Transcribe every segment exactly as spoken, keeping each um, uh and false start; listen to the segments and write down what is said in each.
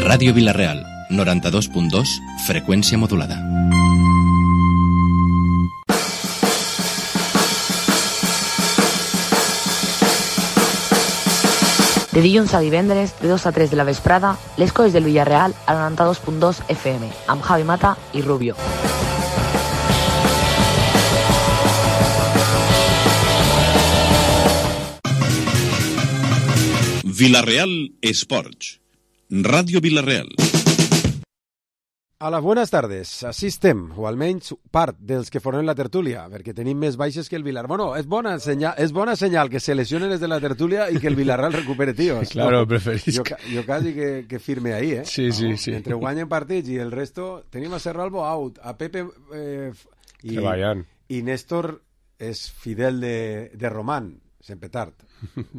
Ràdio Vila-real, noranta-dos punt dos, freqüència modulada. De dilluns a divendres, de dos a tres de la vesprada, les coses del Villarreal a noranta-dos punt dos F M, amb Javi Mata i Rubio. Vila-real Esports. Ràdio Vila-real. Hola, buenas tardes. Així estem, o almenys part dels que formen la tertúlia, perquè tenim més baixes que el Vilar. Bueno, és bona senyal, és bona senyal que se lesionen des de la tertúlia i que el Villarreal recupere tios. Claro, no? preferís. Jo, jo quasi que, que firme ahí, eh? Sí, sí, no? sí. Entre guanyen partits i el resto, tenim a Serralbo out, a Pepe eh, i, i Néstor és fidel de, de Román, sempre tard.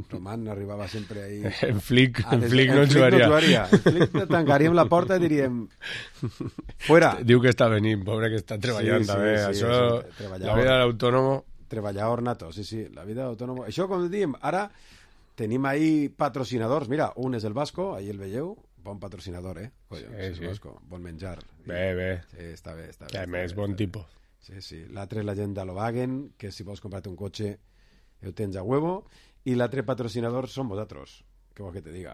Román arribava sempre ahí... En Flick, ah, en Flick no jugaria. No jugaria. En Flick tancaríem la porta i diríem... Fuera. Diu que està venint, pobre, que està treballant, sí, també. Sí, sí, això, això la vida de l'autònomo... Treballador nato, sí, sí, la vida d'autònomo. Això, com diem, ara tenim ahí patrocinadors. Mira, un és el Vasco, ahí el veieu, bon patrocinador, eh? Collons, sí, sí. El Vasco, bon menjar. Bé, bé. Sí, està bé, està bé. I a més, bon tipus. Sí, sí. L'altre és la gent d'Alovagen, que si vols comprar-te un cotxe, ho tens a huevo. I l'altre patrocinador són vosaltres. Què vol que te diga?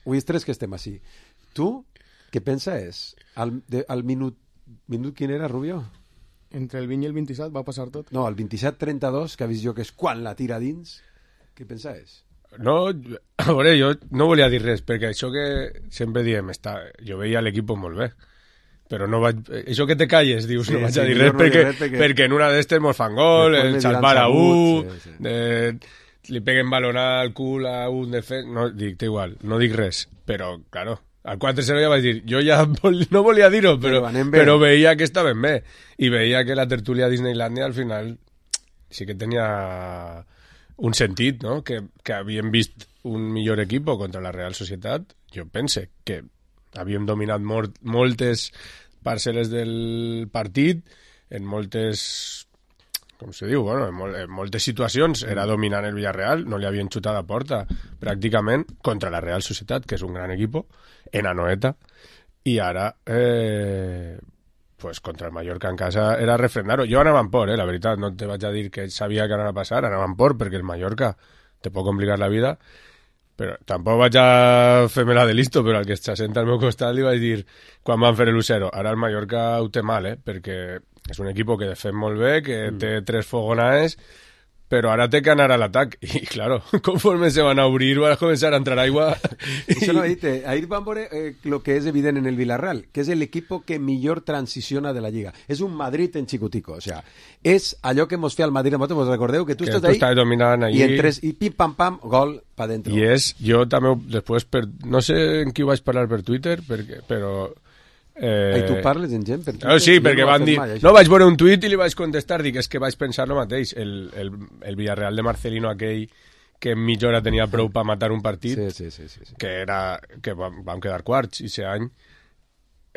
Avui és tres que estem així. Tu, què penses? Al, de, al minut... Minut quin era, Rubio? Entre el vint i el vint-i-set va passar tot. No, el vint-i-set trenta-dos, que ha vist jo que és quan la tira dins. Què penses? No, a veure, jo no volia dir res, perquè això que sempre diem, està, jo veia l'equip molt bé, però no vaig... Això que te calles, dius, sí, no vaig sí, a dir res, no perquè, res perquè... perquè en una d'estes mos fan gol, el salvar a un... Sí, sí. De... li peguen balonada al cul a un defensa... No, dic, té igual, no dic res. Però, claro, al quatre cero ja vaig dir... Jo ja vol, no volia dir-ho, però, però, però veia que estaven bé. I veia que la tertúlia a Disneylandia al final sí que tenia un sentit, no? Que, que havíem vist un millor equip contra la Real Societat. Jo pense que havíem dominat molt, moltes parcel·les del partit, en moltes... com se diu, bueno, en, mol en moltes situacions era dominant el Villarreal, no li havien xutat a porta pràcticament contra la Real Societat, que és un gran equip, en Anoeta, i ara eh, pues contra el Mallorca en casa era refrendar-ho. Jo anava en por, eh, la veritat, no te vaig a dir que sabia que anava a passar, anava en por perquè el Mallorca te pot complicar la vida, però tampoc vaig a fer-me la de listo, però al que s'assenta al meu costat li vaig dir quan van fer l'u zero, ara el Mallorca ho té mal, eh, perquè és un equip que defèn molt bé, que mm. té tres fogonades, però ara té que anar a l'atac. I, claro, conforme se van a obrir, va a començar a entrar aigua. Això no, ahir, ahir van veure eh, lo que és evident en el Villarreal, que és el equipo que millor transiciona de la Lliga. És un Madrid en xicutico, o sea, és allò que mos feia el Madrid, vos recordeu que tu que estàs ahí, dominant i, en tres, i pim pam pam, gol pa dentro. I és, jo també, després, per, no sé en qui vaig parlar per Twitter, perquè, però... Eh... I tu parles en gent? Per no, sí, perquè no van dir... Mai, no, vaig veure un tuit i li vaig contestar, dic, és que vaig pensar el mateix. El, el, el Villarreal de Marcelino aquell que en mitja hora tenia prou per matar un partit, sí, sí, sí, sí, sí. que era que vam, vam quedar quarts i aquest any,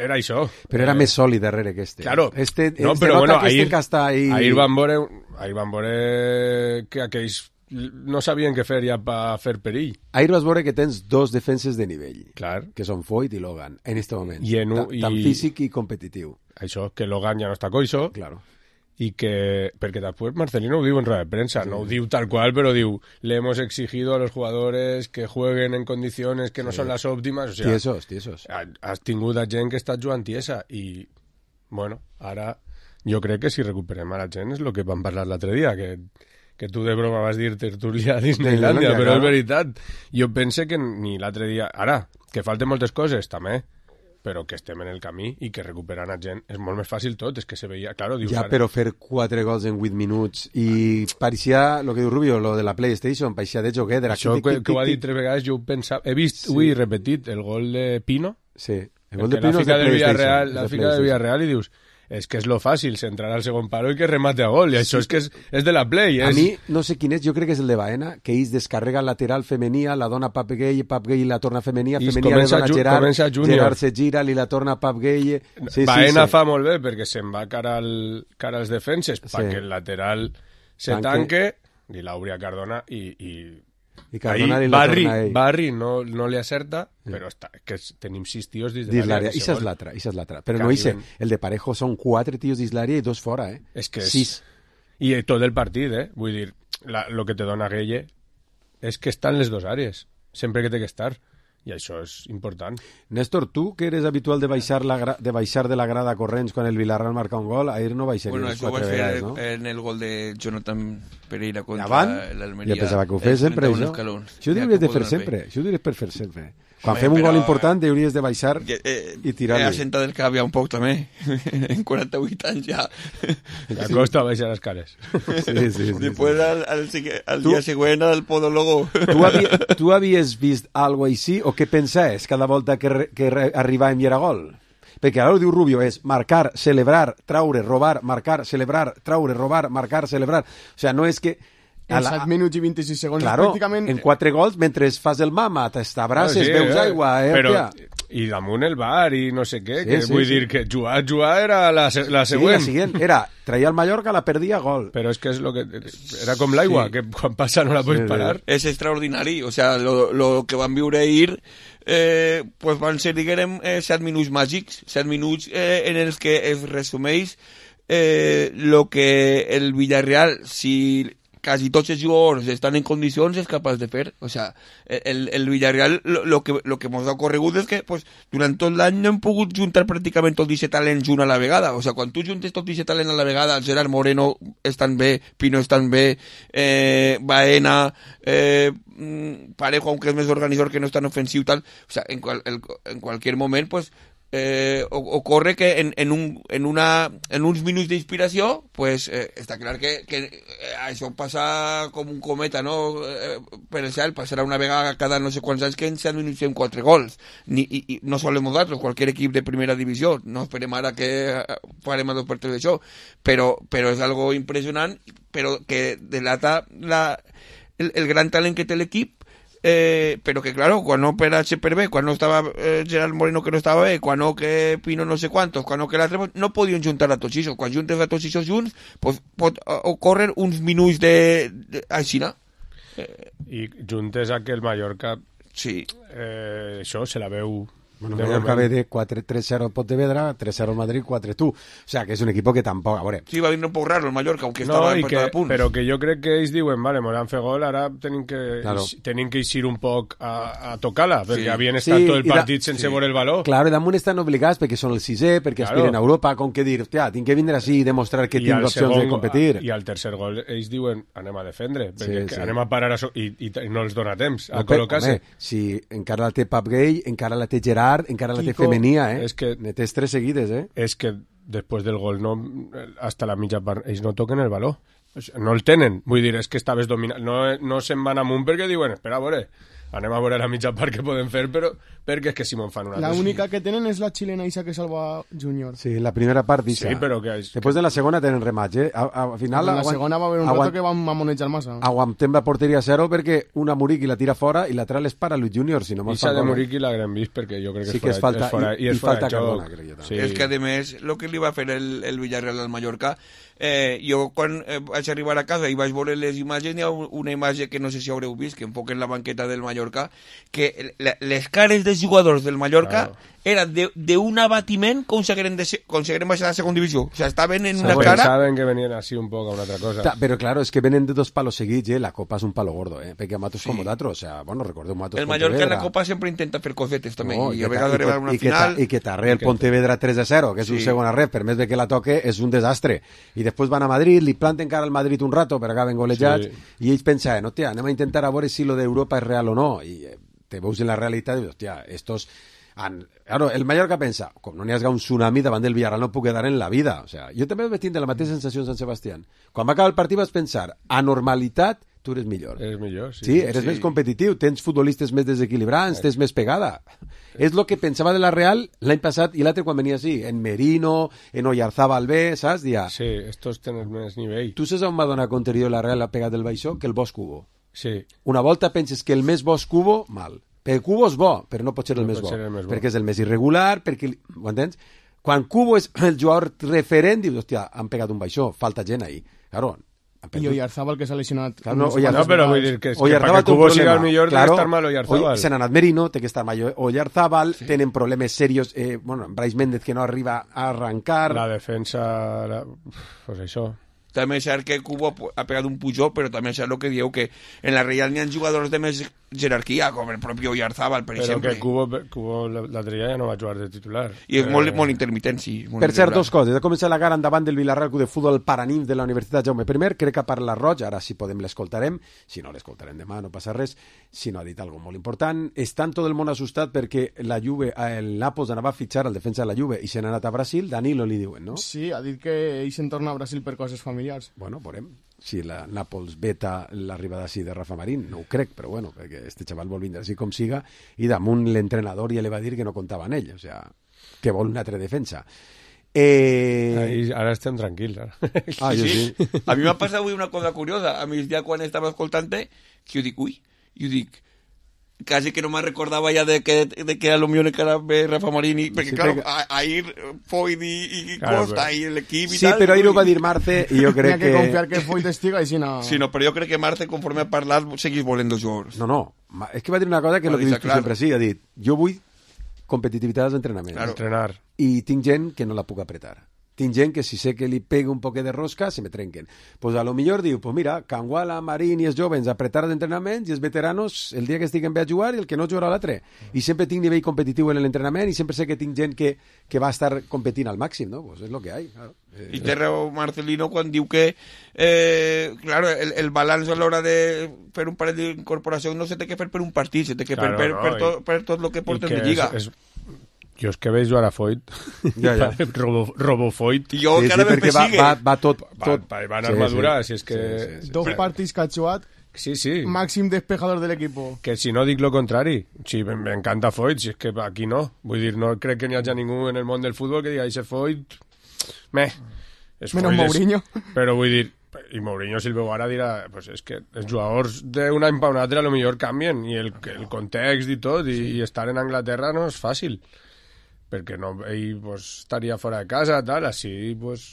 era això. Però era eh... més sòlid darrere que este. Claro. Este, no, este però bueno, que ahir, este està ahí... ahir van veure, ahir van veure que aquells no sabien què fer ja per fer perill. Ahir vas veure que tens dos defenses de nivell, clar, que són Foyt i Logan, en este moment. I en un, Ta, tan i... físic i competitiu. Això, que Logan ja no està coixo, claro. I que, perquè després Marcelino ho diu en rueda de prensa, sí. No ho diu tal qual, però diu, le hemos exigido a los jugadores que jueguen en condiciones que no sí. Son las óptimas, o sea, tiesos, tiesos. Has tingut a gent que està jugant tiesa, i, bueno, ara jo crec que si recuperem a la gent és el que vam parlar l'altre dia, que que tu de broma vas dir tertúlia a Disneylandia, però és veritat. Jo pense que ni l'altre dia... Ara, que falten moltes coses, també, però que estem en el camí i que recuperant a gent és molt més fàcil tot, és que se veia... Claro, dius, ja, ara... però fer quatre gols en vuit minuts i pareixia, lo que diu Rubio, lo de la PlayStation, pareixia de joguer... Això que, que ho ha dit tres vegades, jo ho pensava... He vist, sí. Ui, repetit, el gol de Pino. Sí, el gol de Pino és de PlayStation. La fica de Villarreal i dius... És que és lo fàcil, centrar al segon palo i que remate a gol, i sí. Això és que és, és de la Play. És... A mi, no sé quin és, jo crec que és el de Baena, que ells descarrega lateral femenia, la dona Pap Gay, Pap Gay la torna femenia, femenia la dona Gerard, Gerard se gira, li la torna Pap Gay... Sí, Baena sí, sí. Fa molt bé, perquè se'n va cara, al, cara als defenses, sí. Perquè el lateral se tanque, tanque i l'Auria Cardona, i, i I Cardona ahí li la Barri, torna a ell. Barri no, no li acerta, sí. Però està, que tenim sis tios dins de Dins l'àrea. l'àrea, ixa és l'altra, ixa és l'altra. Però Que no hice, arriben. el de Parejo són quatre tios dins l'àrea i dos fora, eh? És que és... Sis. I tot el partit, eh? Vull dir, la, lo que te dona Gueye és que està en les dues àrees, sempre que té que estar. I això és important. Néstor, tu, que eres habitual de baixar, la gra... de baixar de la grada corrents quan el Villarreal marca un gol, ahir no baixaries Bueno, això ho quatre vaig fer vegades, no? en el gol de Jonathan Pereira contra Avant? l'Almeria. Jo pensava que ho fes sempre, això. Això ho hauries de fer sempre. Això ho hauries per fer sempre. Quan Home, fem un però, gol important, hauries de baixar Eh, eh, i tirar-li. He assentat el cap ja un poc, també. En quaranta-vuit anys ja. Ja costa baixar les cares. Sí, sí, sí. Després, sí. al, al, sigue- al Tu- dia següent, al podólogo. Tu, havia, tu havies vist algo així o què pensaves cada volta que, re, que re, arribàvem i era gol? Perquè ara ho diu Rubio, és marcar, celebrar, traure, robar, marcar, celebrar, traure, robar, marcar, celebrar. O sigui, no és que... En set minuts i vint-i-sis segons, Claro, pràcticament... en quatre gols, mentre fas el mama, t'abraces, Sí, veus eh? aigua, eh, Però, hòstia. i damunt el bar i no sé què, Sí, que sí, vull sí. dir que jugar, jugar era la, se- la Sí, següent. la siguiente era, traía al Mallorca, la perdía, gol. Però és que és lo que... Era com l'aigua, Sí. que quan passa no la pots Sí, sí. parar. Es extraordinari, o sea, lo, lo que van viure ahir eh, pues van ser, diguem, eh, set minuts màgics, set minuts eh, en els que es resumeix eh, lo que el Villarreal, si quasi tots els jugadors estan en condicions, és capaç de fer. O sea, el, el Villarreal lo, lo que, lo que mos ha ocorregut és que pues, durant tot l'any no hem pogut juntar pràcticament tot aquest talent junt a la vegada. O sea, quan tu juntes tot aquest talent a la vegada, el Gerard Moreno estan bé, Pino estan bé, eh, Baena, eh, Parejo, aunque és més organitzador que no és tan ofensiu, tal. O sea, en, qual, el, en qualsevol moment, pues, eh, ocorre que en, en, un, en, una, en uns minuts d'inspiració pues, eh, està clar que, que eh, això passa com un cometa, no? Eh, per el cel, passarà una vegada cada no sé quants anys que en set minuts fem quatre gols. Ni, i, i no solem nosaltres, qualsevol equip de primera divisió, no esperem ara que farem a dos per tres d'això, però, però és algo impressionant, però que delata la, el, el gran talent que té l'equip. Eh, pero que claro, cuando per H per B, cuando estaba eh, Gerard Moreno que no estaba bé, cuando que Pino no sé cuántos, cuando que l'altre, pues, no podien juntar a tots això. Quan juntes a tots això junts, pues, pot ocórrer uns minuts de, de així, no? Eh, I juntes a que el Mallorca sí. eh, això se la veu Bueno, de Mallorca ve moment. de quatre tres cero Pontevedra, tres cero Madrid, cuatro tú. O sea, que és un equipo que tampoc... A veure, Sí, va venir un poc raro el Mallorca, aunque No, estava i per que, cada punt. però que jo crec que ells diuen, vale, mos han fet gol, ara tenim que, Claro. tenim que eixir un poc a, a tocar-la, perquè Sí. havien estat Sí, tot el i da- partit sense sí. veure el valor. claro, i damunt estan obligats perquè són el sisè, perquè Claro. aspiren a Europa, com que dir, hòstia, tinc que vindre així i demostrar que I tinc al opcions segon de go- competir. I al tercer gol ells diuen anem a defendre, perquè Sí, que sí. anem a parar a so i, i, i no els dona temps a No, però, col·locar-se. home, si encara la té Pap Gay, encara la té Gerard, encara la té Kiko, Femenia, eh? és que- Ne tens tres seguides, eh? És que després del gol no, hasta la mitja part ells no toquen el valor. O sigui, no el tenen. Vull dir, és que estaves dominant. No, no se'n van amunt perquè diuen, espera, a veure, anem a veure la mitja part que podem fer, però perquè és que si me'n fan una... La cosa. única que tenen és la xilena Isa que salva Júnior. Sí, la primera part dixa. Sí, però que... Després de la segona tenen rematch, eh? A, a, al final... En la aguant- segona va haver un aguant- rato que van mamonejar massa. Aguantem la porteria a zero perquè una Muriqui la tira fora i l'altra l'és para Luis Junior, si no me'ls Ixa fan de gol. Muriqui l'haguem vist perquè jo crec que, Sí és, que fora, és falta- és fora, i- i, és i fora falta de joc. Cardona, crec jo també. Sí. És que, a més, el que li va fer el, el Villarreal al Mallorca, eh, jo quan eh, vaig arribar a casa i vaig veure les imatges, hi ha un- una imatge que no sé si haureu vist, que enfoquen la banqueta del Mallorca, que la, les cares dels jugadors del Mallorca Claro. eren d'un abatiment com si hagueren, de ser, com si hagueren baixat a la segona divisió. O sigui, estaven en una Pues cara... saben que venien así un poco a una otra cosa. Ta- Però, claro, és que venen de dos palos seguits, eh? La Copa és un palo gordo, eh? Perquè Matos com d'altres, o sea, bueno, recordeu Matos El Mallorca en la Pontevedra. Copa sempre intenta fer cosetes també, No, i que a ta- vegades i que- arribar a una i que ta- final... I que t'arre el Pontevedra tres a zero, que és un Sí. segon arrep, per més de que la toque, és un desastre. I després van a Madrid, li planten cara al Madrid un rato, però acaben golejats, Sí. i ells pensaven, hòstia, anem a intentar a veure si lo d'Europa és real o no. I eh, te veus en la realitat i dius, hòstia, estos... Han... Claro, el Mallorca pensa, com no n'hi hagi un tsunami davant del Villarreal no puc quedar en la vida. O sea, jo també vaig tindre la mateixa sensació en Sant Sebastián. Quan va acabar el partit vas pensar, a normalitat tu eres millor. És millor, sí. Sí, eres sí. més competitiu, tens futbolistes més desequilibrants, tens més pegada. És el que pensava de la Real l'any passat i l'altre quan venia així, en Merino, en Oyarzábal B, saps? Dia, Sí, estos tenen més nivell. tu saps on va donar conterior la Real la pegada del baixó? Que el Bosch Cubo. Sí. Una volta penses que el més bo és Cubo, mal. Perquè Cubo és bo, però no pot ser el, No més, pot bo, ser el més bo. perquè és el més irregular, perquè... Ho entens? Quan Cubo és el jugador referent, dius, hòstia, han pegat un baixó, falta gent ahí. Claro, I Oyarzábal, que s'ha lesionat. Claro, no, no, Oyarzábal- No, però vull dir que, és que Oyarzábal perquè té un Cubo sigui problema. el millor Claro, debe estar mal Oyarzábal. Oy- se n'ha anat Merino, té que estar mal Oyarzábal, sí. Tenen problemes serios, eh, bueno, Brais Méndez que no arriba a arrancar. La defensa... La... Pues això... També és cert que Cubo ha pegat un pujó, però també és cert el que dieu, que en la Real n'hi ha jugadors de més jerarquia, com el propi Oyarzábal, per però exemple. que Cubo, Cubo l'altre dia ja no va jugar de titular. I és eh... molt, molt intermitent, sí. Molt Per cert, irregular. dos coses. Ha començat la gara endavant del Villarreal Club de Futbol Paranimf de la Universitat Jaume I. Crec que parla Roig, ara si podem l'escoltarem. Si no, l'escoltarem demà, no passa res. Si no, ha dit alguna molt important. Està tot el món assustat perquè la Juve, el Nàpols anava a fitxar el defensa de la Juve i se n'ha anat a Brasil. Danilo li diuen, no? Sí, ha dit que ell se'n torna a Brasil per coses familiars. Bueno, veurem si la Nàpols veta l'arribada així de Rafa Marín. No ho crec, però bueno, perquè este xaval vol vindre així com siga, i damunt l'entrenador ja li va dir que no comptava en ell, o sea, que vol una altra defensa. Eh... Ahí, ara estem tranquils. Ara. Ah, jo sí. Sí. A mi m'ha passat avui una cosa curiosa. A migdia, quan estava escoltant-te, que jo dic, ui, jo dic, quasi que no me recordava ja de que, de que a lo millor que era bé Rafa Marín, i, perquè, Sí, claro, perquè- a, ahir Foyt i, i Claro, Costa però- i l'equip i Sí, tal... però ahir ho ui. va dir Marce i jo N'hi ha crec que, que... confiar que Foyt estiga i si no... Sí, no, però jo crec que Marce, conforme ha parlat, seguís volent dos jugadors. No, no, ma- és que va dir una cosa que Va el que deixar dius tu clar. sempre sí, ha dit, jo vull competitivitat als entrenaments. Claro. Entrenar. I tinc gent que no la puc apretar. Tinc gent que si sé que li pega un poquet de rosca, se me trenquen. Pues a lo millor diu, pues mira, Canguala, Marín i els jovens apretar els entrenaments i els veteranos el dia que estiguen bé a jugar i el que no jugarà l'altre. I sempre tinc nivell competitiu en l'entrenament i sempre sé que tinc gent que, que va estar competint al màxim, no? Pues és lo que hay. Claro. Eh, I té raó Marcelino quan diu que eh, claro, el, el balanç a l'hora de fer un parell d'incorporació no se té que fer per un partit, se té que Claro, fer per, no, per, i- tot, per tot el que I porten que de lliga. És, és... Jo és que veig jugar a Foyt. Ja, ja. Robo, Robo Foyt. I jo sí, sí, encara me perquè va, persigue. va, va tot... Va, tot... va, va en armadura, si és que... Sí, sí, sí. Dos partits que ha jugat, Sí, sí. màxim despejador de l'equip. Que si no dic lo contrari. Sí, m'encanta Foyt, si és que aquí no. Vull dir, no crec que n'hi hagi ningú en el món del futbol que diga, ese Foyt... Meh. És Menos Foyt, és- Mourinho. Però vull dir, i Mourinho si el veu ara dirà, pues és que els jugadors d'un any pa un altre a lo millor canvien, i el, el context i tot, i, i estar en Anglaterra no és fàcil. Perquè no, ell pues, estaria fora de casa, tal, així pues,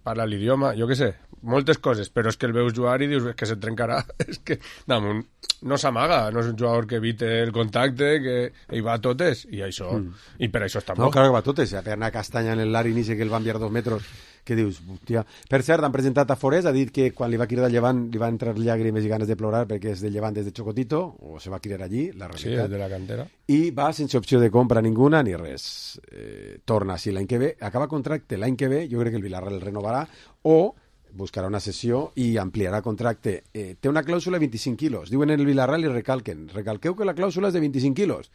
parla l'idioma, jo què sé, moltes coses, però és que el veus jugar i dius que se trencarà, és que damunt no s'amaga, no és un jugador que evite el contacte, que ell va a totes, i això, mm. i per això està No, bo. claro que va totes. A una castanya en el Lari inici que el va enviar dos metres, que dius, hòstia... Per cert, han presentat a Forés, ha dit que quan li va cridar Llevant li va entrar llàgrimes i ganes de plorar perquè és de Llevant des de Chocotito, o se va cridar allí, la Sí, realitat. és de la cantera. I va sense opció de compra ninguna ni res. Eh, torna així l'any que ve, acaba contracte l'any que ve, jo crec que el Villarreal el renovarà, o buscarà una sessió i ampliarà contracte. Eh, té una clàusula de vint-i-cinc quilos. Diuen en el Villarreal i recalquen. Recalqueu que la clàusula és de vint-i-cinc quilos.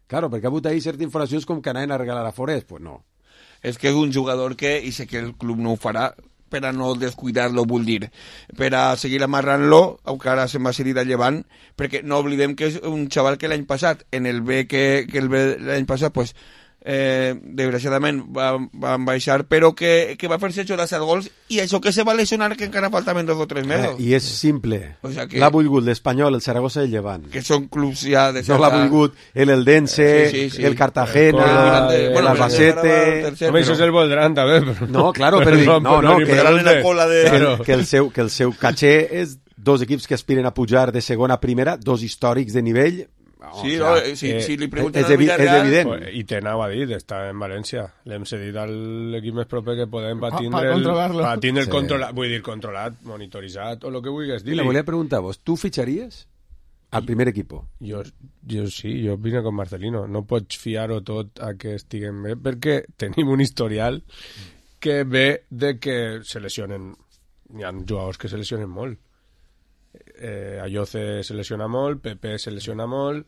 Claro, perquè ha hagut ahí certes informacions com que anaven a regalar a Forés. Pues no. És que és un jugador que, i sé que el club no ho farà, per a no descuidar-lo, vull dir, per a seguir amarrant-lo, encara se'n va cedir a Llevant, perquè no oblidem que és un xaval que l'any passat, en el B que, que el B l'any passat, pues, eh, desgraciadament va, van baixar, però que, que va fer-se això de set gols, i això que se va lesionar que encara faltaven dos o tres mesos. Eh, I és simple. O sea que- L'ha volgut l'Espanyol, el Saragossa i el Llevant. Que són clubs ja de No l'ha volgut el Eldense, Sí, sí, sí. el Cartagena, El- el bueno, Albacete... Home, això és el Voldrán, també. Però... No, claro, però dic, no, no, que- Quedaran en la cola de... que, Claro. el, que, el seu, que el seu caché és dos equips que aspiren a pujar de segona a primera, dos històrics de nivell. Oh, Sí, o no, sea, eh, si, eh, si li és, pregunten és, al evi és Villarreal... evident. I te anava a dir, està en València. L'hem cedit a l'equip més proper que podem per Pa- tindre, pa el, controlar-lo. pa tindre el Sí. controlat, vull dir, controlat, monitoritzat, o el que vulguis I dir. le volia preguntar a vos, tu fitxaries al primer equipo? Jo, jo sí, jo vine con Marcelino. No pots fiar-ho tot a que estiguem bé, perquè tenim un historial que ve de que se lesionen. Hi ha jugadors que se lesionen molt. Eh, Ayoce se lesiona molt, Pepe se lesiona molt,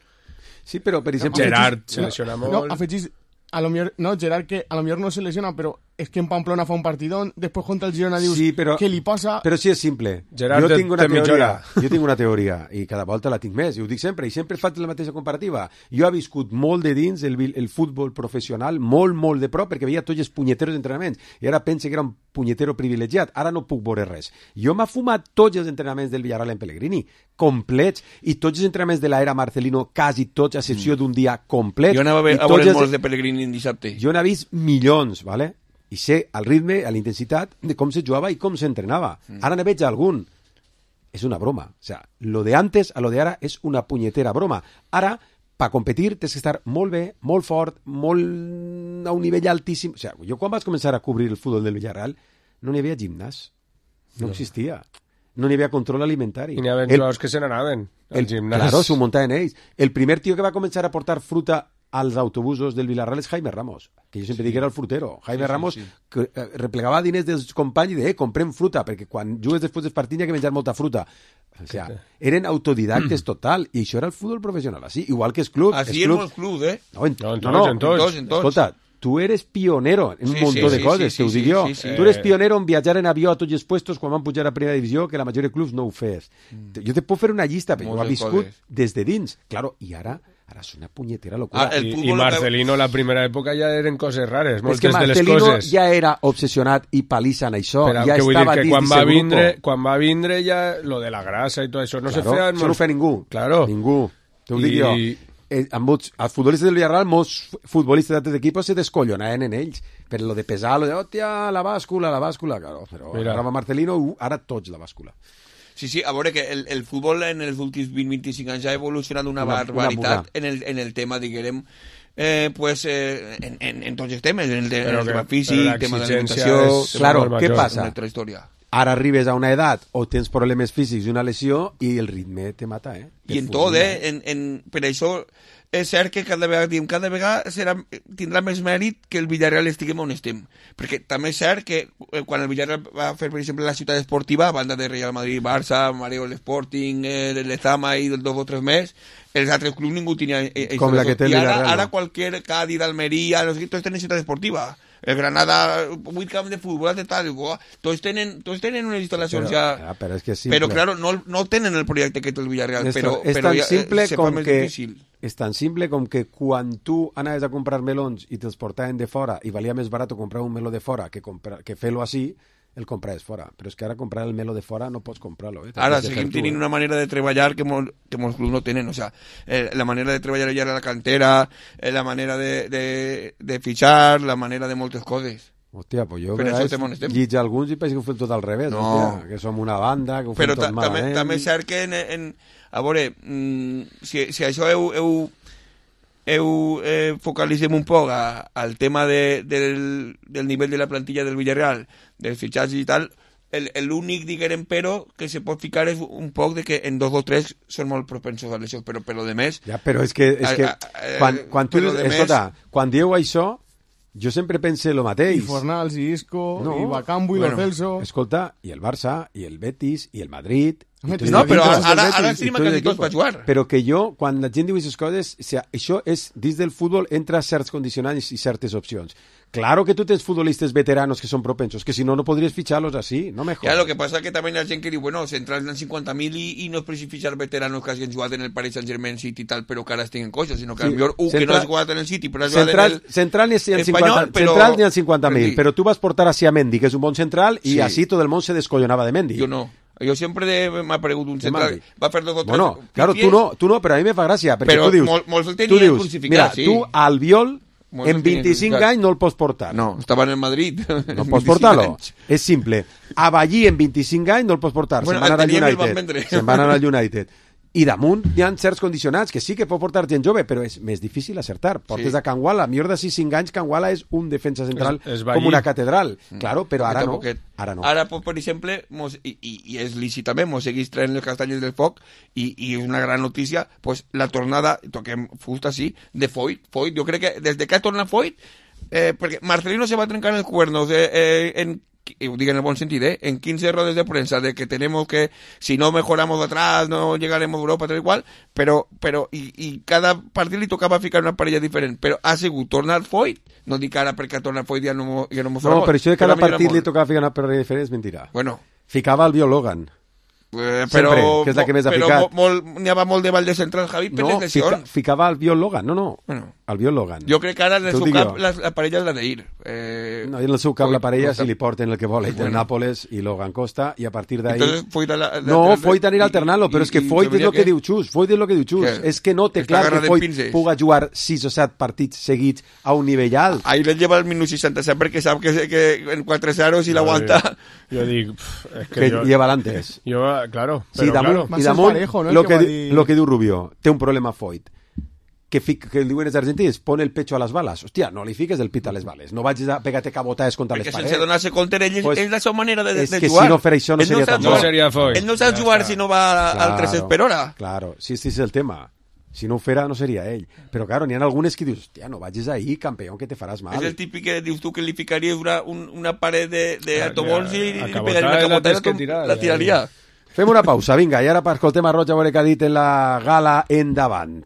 Sí, però per exemple... Gerard se lesiona No, molt. afegís, a lo millor, no, Gerard, que a lo millor no se lesiona, però és que en Pamplona fa un partidón, després contra el Girona dius, Sí, però- què li passa? Però sí és simple. Gerard jo tinc una té mitja teoria, hora. jo tinc una teoria i cada volta la tinc més, i ho dic sempre, i sempre faig la mateixa comparativa. Jo he viscut molt de dins el, vi- el futbol professional, molt, molt de prop, perquè veia tots els punyeteros d'entrenaments, i ara pense que era un punyetero privilegiat, ara no puc veure res. Jo m'ha fumat tots els entrenaments del Villarreal en Pellegrini, complets, i tots els entrenaments de l'era Marcelino, quasi tots, a excepció d'un dia complet. Jo anava a, ve- I a tots veure els- molts de Pellegrini en dissabte. jo n'he vist milions, ¿vale? i sé el ritme, a la intensitat de com se jugava i com s'entrenava. Mm. Ara ne veig algun. És una broma. O sea, lo de antes a lo de ara és una punyetera broma. Ara, per competir, tens que estar molt bé, molt fort, molt a un nivell altíssim. O sea, jo quan vaig començar a cobrir el futbol del Villarreal no n'hi havia gimnàs. No, no existia. No n'hi havia control alimentari. I n'hi havia jugadors que se n'anaven al gimnàs. Claro, s'ho muntaven ells. El primer tio que va començar a portar fruta als autobusos del Villarreal és Jaime Ramos, que jo sempre sí. dic que era el frutero. Jaime sí, Ramos sí, sí. Que, eh, replegava diners dels companys i de, eh, comprem fruta, perquè quan jugues després dels partits hi ha que menjar molta fruta. O sea, sí. eren autodidactes total, i això era el futbol professional, així, igual que els clubs. Així els en molts clubs, eh? No, en, no, en no, no, en tots, en tots. Escolta, tu eres pionero en un sí, montó sí, de sí, coses, sí, te ho sí, dic jo. sí, sí. Tu eres pionero en viatjar en avió a tots els puestos quan van pujar a primera divisió, que la majoria de clubs no ho fes. Mm. Jo te puc fer una llista, però jo ho he viscut coses. Des de dins. Claro, i ara Ara és una punyetera locura. Ah, I, I Marcelino, que... la primera època, ja eren coses rares, moltes de les coses. És que Marcelino ja era obsessionat i palissa en això. Però ja que vull estava dir que dins quan va, vindre, grupo. quan va vindre ja lo de la grasa i tot això no claro, se feia... Això no ho feia ningú. Claro. Ningú. Te ho I... dic jo. Eh, amb molts, els futbolistes del Villarreal, molts futbolistes d'altres equipos se descollonaven en ells. Per lo de pesar, lo de, hòstia, la bàscula, la bàscula. Claro, però Mira. Ara va Marcelino, uh, ara tots la bàscula. Sí, sí, a veure que el, el futbol en els últims vint a vint-i-cinc anys ha evolucionat una, una barbaritat una en, el, en el tema, diguem, eh, pues, eh, en, en, en tots els temes, en el, de, en el tema físic, el tema d'alimentació... Claro, què passa? Una història. Ara arribes a una edat o tens problemes físics i una lesió i el ritme te mata, eh? I en tot, eh? En, en, per això és cert que cada vegada, diem, cada vegada serà, tindrà més mèrit que el Villarreal estiguem on estem. Perquè també és cert que quan el Villarreal va fer, per exemple, la ciutat esportiva, a banda de Real Madrid, Barça, Mareo, l'Sporting, el Lezama i dos o tres més, els altres clubs ningú tenia... Eh, Com la que té el Villarreal. I ara, ara qualsevol Cádiz, Almeria, no sé què, tots tenen ciutat esportiva. El Granada, vuit camps de futbol, de tal, tots tenen, tots tenen unes instal·lacions però, ja... ja però, és que és simple. Però, claro, no, no tenen el projecte que té el Villarreal, és, però, és però tan ja, simple se com fa més que, difícil. És tan simple com que quan tu anaves a comprar melons i te'ls portaven de fora i valia més barat comprar un meló de fora que, comprar, que fer-lo així, el compraves fora. Però és que ara comprar el meló de fora no pots comprar-lo. Eh? Ara seguim tenint eh? una manera de treballar que, mol, que molts clubs no tenen. O sea, eh, la manera de treballar ja a la cantera, eh, la manera de, de, de fitxar, la manera de moltes coses. Hòstia, pues jo lliig alguns i penso que ho fem tot al revés. No. Hòstia, que som una banda, que ho fem però tot malament. Però també és cert que en, en, a veure, mm, si, si això heu, heu, heu eh, focalitzem un poc a, al tema de, del, del nivell de la plantilla del Villarreal, dels fitxatges i tal, l'únic, diguem, però que se pot ficar és un poc de que en dos o tres són molt propensos a lesions, però per lo de més... Ja, però és que, és que a, a, quan, quan tu... Escolta, més... quan dieu això, jo sempre pense el mateix. I Fornals, i Isco, no. i Bacambo, i bueno, Lo Celso... Escolta, i el Barça, i el Betis, i el Madrid... I no, però ara, ara sí quasi tots per jugar. Però que jo, quan la gent diu aquestes coses, o sea, això és, dins del futbol, entra certs condicionants i certes opcions. Claro que tú tienes futbolistas veteranos que son propensos, que si no, no podrías ficharlos así, no me jodas. Ya, lo que pasa es que también hay gente que dice, bueno, se entran en cincuenta mil y, y no es preciso fichar veteranos que hagin jugat en el Paris Saint-Germain City y tal, pero que ara estiguin coixos, sinó que sí. Millor un central, que no has jugat en el City, però has jugat en el central ni el espanyol, però... Central ni el cincuenta mil, però tu vas portar así a Mendy, que és un bon central, i sí. Así tot el món se descollonava de Mendy. Jo no. Jo sempre m'ha aparegut un central, va fer dos o tres... Bueno, claro, tu no, tu no, però a mi me fa gràcia, perquè però tu dius... Però molts el tenien crucificat, mira, sí. Tu al Viol, molts en vint-i-cinc anys no el pots portar. No, estava en el Madrid. No pots portar-lo. És simple. A Ballí en vint-i-cinc anys no el pots portar. Bueno, se'n van anar al United. Se'n van anar al United. I damunt hi ha certs condicionats que sí que pot portar gent jove, però és més difícil acertar. Portes sí. A Can Wala, millor de sis cinc anys, Can Wala és un defensa central es, es com una catedral. Mm. Claro, però ara no. Ara no. Ara, per exemple, mos, i, i, i és lícit també, mos seguís traient les castanyes del foc i, i és una gran notícia, pues, la tornada, toquem fusta, sí, de Foyt. Foyt, jo crec que des de que ha tornat Foyt, eh, perquè Marcelino se va trencar els cuernos eh, eh, en y digo en el buen sentido, ¿eh? En quince rodes de prensa de que tenemos que, si no mejoramos de atrás, no llegaremos a Europa, tal y cual, pero, pero, y, y cada partido le tocaba ficar una parella diferente, pero ha sigut tornar Foyt, no dic ara perquè tornar Foyt ja no, ja no mos No, però això de cada partit li tocava ficar una parella diferent és mentira. Bueno. Ficava el Biologan. Eh, però, sempre, que és la que més ha ficat. Però n'hi havia molt de ball de central, Javi, per no, les lesions. Fica, ficava el Biologan, no, no, bueno. El Biologan. Jo crec que ara de su cap la, la parella és la d'Ir. Eh, No, i el seu cap la parella si li porten el que vol, el Nàpoles i Logan Costa, i a partir d'ahí... No, Foyt anirà alternant-lo, però és que Foyt és el que diu Xus, Foyt és el que diu Xus, és que no té clar que Foyt puga jugar sis o set partits seguits a un nivell alt. Ahí le lleva el minut seixanta-set perquè sap que, que en quatre zero si l'aguanta... Jo dic... És que, que jo... lleva l'antes. Jo, claro, però sí, damunt, claro. I damunt, parejo, ¿no? lo, que, dir... lo que diu Rubio, té un problema Foyt. Que, fic, que diuen els argentins, pon el pecho a les bales. Hòstia, no li fiques el pit a les bales. No vagis a pegar-te cabotades contra perquè les parets. Perquè sense donar-se compte, ell pues, és la seva manera de, de és jugar. És que si no fer això no ell seria no tan bo. No seria Foyt. Ell no sap ja jugar està. Si no va claro, al tres per hora. Claro, sí, sí, és el tema. Si no ho fera, no seria ell. Però, claro, n'hi ha algunes que dius, hòstia, no vagis ahí, campió, que te faràs mal. És el típic que dius tu que li ficaries una, un, una paret de, de ja, autobols ja, i li pegaria una cabotada i la, la tiraria. Ja. Fem una pausa, vinga, i ara per escoltem a Roig a veure què ha dit en la gala Endavant.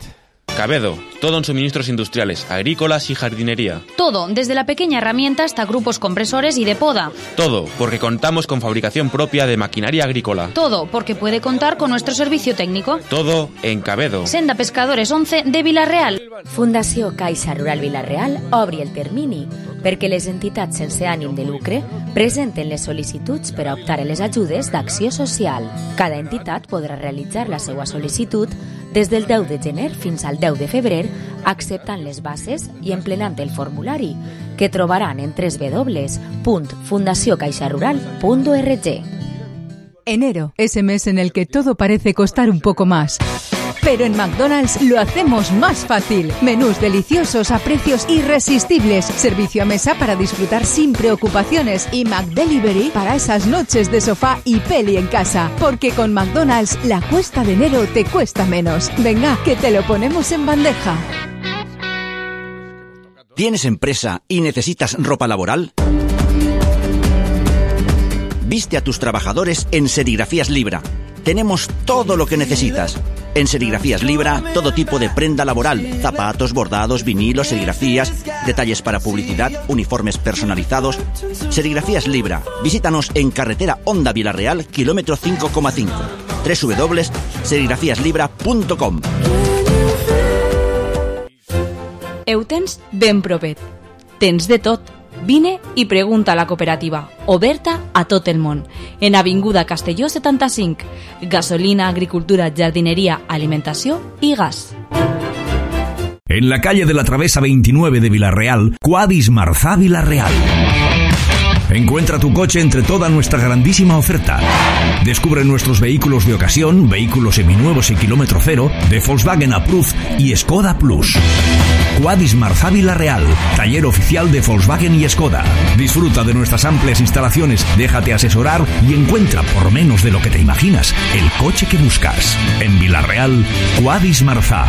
Cabedo, todo en suministros industriales, agrícolas y jardinería. Todo, desde la pequeña herramienta hasta grupos compresores y de poda. Todo, porque contamos con fabricación propia de maquinaria agrícola. Todo, porque puede contar con nuestro servicio técnico. Todo en Cabedo. Senda Pescadores once de Vila-real. Fundació Caixa Rural Vila-real obri el termini perquè les entitats sense ànim de lucre presenten les sol·licituds per a optar a les ajudes d'acció social. Cada entitat podrà realitzar la seva sol·licitud des del deu de gener fins al deu de febrer, acceptant les bases i emplenant el formulari, que trobaran en doble u doble u doble u punt fundació caixa rural punt org. Enero es el mes en el que todo parece costar un poco más. Pero en McDonald's lo hacemos más fácil. Menús deliciosos a precios irresistibles. Servicio a mesa para disfrutar sin preocupaciones. Y McDelivery para esas noches de sofá y peli en casa. Porque con McDonald's la cuesta de enero te cuesta menos. Venga, que te lo ponemos en bandeja. ¿Tienes empresa y necesitas ropa laboral? Viste a tus trabajadores en Serigrafías Libra. Tenemos todo lo que necesitas. En Serigrafías Libra, todo tipo de prenda laboral, zapatos, bordados, vinilos, serigrafías, detalles para publicidad, uniformes personalizados. Serigrafías Libra. Visítanos en carretera Honda Vila-real, kilómetro cinco coma cinco. doble u doble u doble u punt serigrafías libra punt com. Ho tens ben propet. Tens de tot. Vine i pregunta a la cooperativa, oberta a tot el món, en Avinguda Castelló setanta-cinc. Gasolina, agricultura, jardinería, alimentació i gas. En la calle de la Travesa veintinueve de Vila-real, Quadis Marzá Vila-real. Encuentra tu coche entre toda nuestra grandísima oferta. Descubre nuestros vehículos de ocasión, vehículos seminuevos y kilómetro cero, de Volkswagen Approved y Skoda Plus. Quadis Marzá Vila-real, taller oficial de Volkswagen y Skoda. Disfruta de nuestras amplias instalaciones, déjate asesorar y encuentra por menos de lo que te imaginas el coche que buscas. En Vila-real, Quadis Marzá.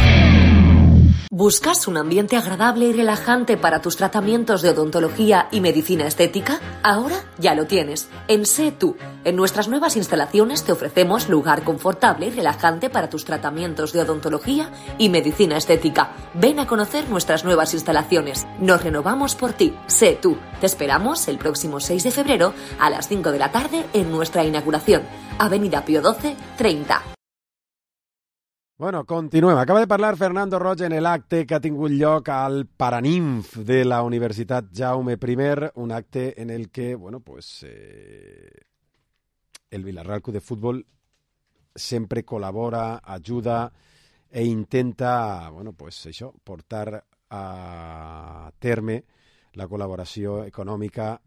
¿Buscas un ambiente agradable y relajante para tus tratamientos de odontología y medicina estética? Ahora ya lo tienes. En Sé Tú. En nuestras nuevas instalaciones te ofrecemos lugar confortable y relajante para tus tratamientos de odontología y medicina estética. Ven a conocer nuestras nuevas instalaciones. Nos renovamos por ti. Sé Tú. Te esperamos el próximo seis de febrero a las cinco de la tarde en nuestra inauguración. Avenida Pío doce, treinta. Bueno, continuem. Acaba de parlar Fernando Roig en l'acte que ha tingut lloc al Paraninf de la Universitat Jaume I, un acte en el que, bueno, pues, eh, el Vila-real Club de Futbol sempre col·labora, ajuda e intenta, bueno, pues, això, portar a terme la col·laboració econòmica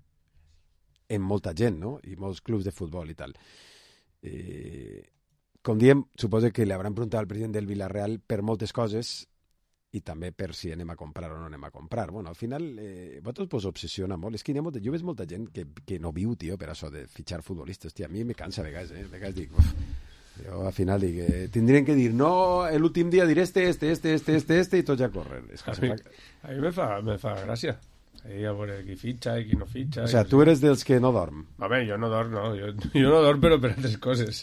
en molta gent, no? I molts clubs de futbol i tal. Eh... Com diem, suposo que li hauran preguntat al president del Vila-real per moltes coses i també per si anem a comprar o no anem a comprar. Bueno, al final, eh, vosaltres vos obsessiona molt. És que hi ha molta, jo veig molta gent que, que no viu, tio, per això de fitxar futbolistes. Hòstia, a mi me cansa a vegades, eh? A vegades dic, uf, jo al final dic, eh, tindrien que dir, no, l'últim dia diré este, este, este, este, este, este, i tots ja corren. És que a, mi, fa... a mi me fa, me fa gràcia. Ahí a veure qui fitxa i qui no fitxa. O sea, tu eres dels que no dorm. A veure, jo no dorm, no. Jo, jo no dorm, però per altres coses.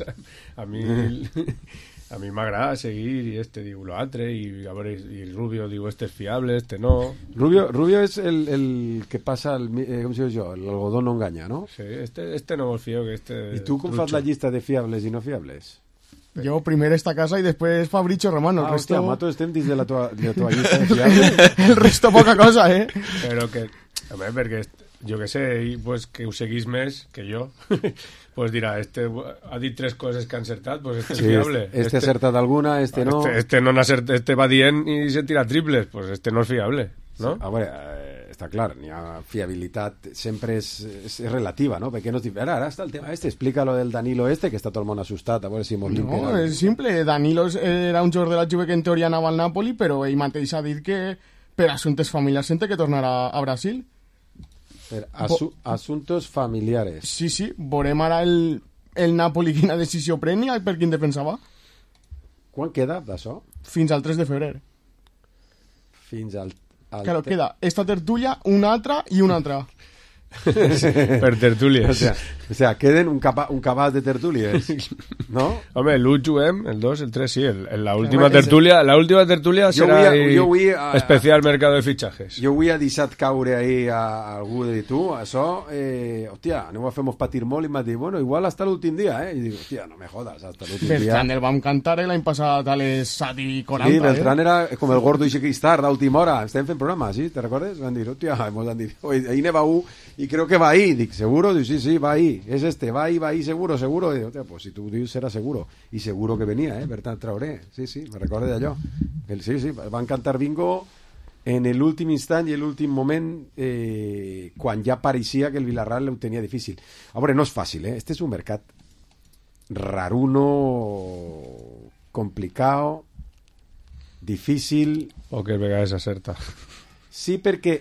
A mi a mi m'agrada seguir i este diu l'altre i a veure, i Rubio diu este és fiable, este no. Rubio, Rubio és el, el que passa, el, eh, com si dius jo, l'algodó no enganya, no? Sí, este, este no vol fio que este... I tu com trucho. Fas la llista de fiables i no fiables? Yo primero esta casa y después Fabricio Romano. Ah, el resto... hostia, mato estem dins de la tua, de la tua llista de fiables. El resto poca cosa, eh? Però que, a veure, perquè jo que sé, i pues, que ho seguís més que jo, pues dirà, este ha dit tres coses que ha encertat, pues este sí, és fiable. Este, este ha acertat alguna, este no... Este, este, no acert, este va dient i se tira triples, pues este no és fiable, no? Sí, a veure, eh, està clar, n'hi ha fiabilitat, sempre és, és, és relativa, no? Perquè no és... Ara, ara està el tema este, explica lo del Danilo este, que està tot el món assustat, a veure si molt No, era... és simple, Danilo era un jugador de la Juve que en teoria anava al Napoli, però ell mateix ha dit que per assumptes familiars sente que tornarà a Brasil. Per asu assuntos familiares. Sí, sí, veurem ara el, el Napoli quina decisió pren i per quin defensa va. Quan queda d'això? Fins al tres de febrer. Fins al... al claro, queda esta tertulia, una altra i una altra. Per tertúlies. O sea, o sea queden un, capa, un cabàs de tertúlies, ¿no? Home, l'u juguem, el dos, el tres sí, el, el, la última tertulia, la última tertulia serà a, a, especial mercado de fitxajes. Jo avui he deixat caure ahí a, a algú de dir, tu, això, eh, hòstia, aneu a fer-nos patir molt, i m'ha dit, bueno, igual hasta l'últim dia, eh? I dic, hòstia, no me jodas, hasta l'últim dia. Beltrán el vam cantar l'any passat a les set i quaranta. Sí, Beltrán eh? era com el gordo i Xequistar d'última hora, estem fent programa, ¿sí? ¿Te recordes? Van dir, hòstia, hemos dit, ahí ne va u, y creo que va ahí, dic, ¿seguro? Dic, sí, sí, va ahí, es este, va ahí, va ahí, seguro, seguro. Dic, hòstia, pues si tu dius serà seguro, i seguro que venia, eh, Bertran Traoré, sí, sí, me recordo d'allò. Sí, sí, van cantar bingo en l'últim instant i l'últim moment eh, quan ja pareixia que el Villarreal ho tenia difícil. A veure, no és fàcil, eh? Este és un mercat raruno, complicado, difícil... O que a vegades acerta. Sí, perquè...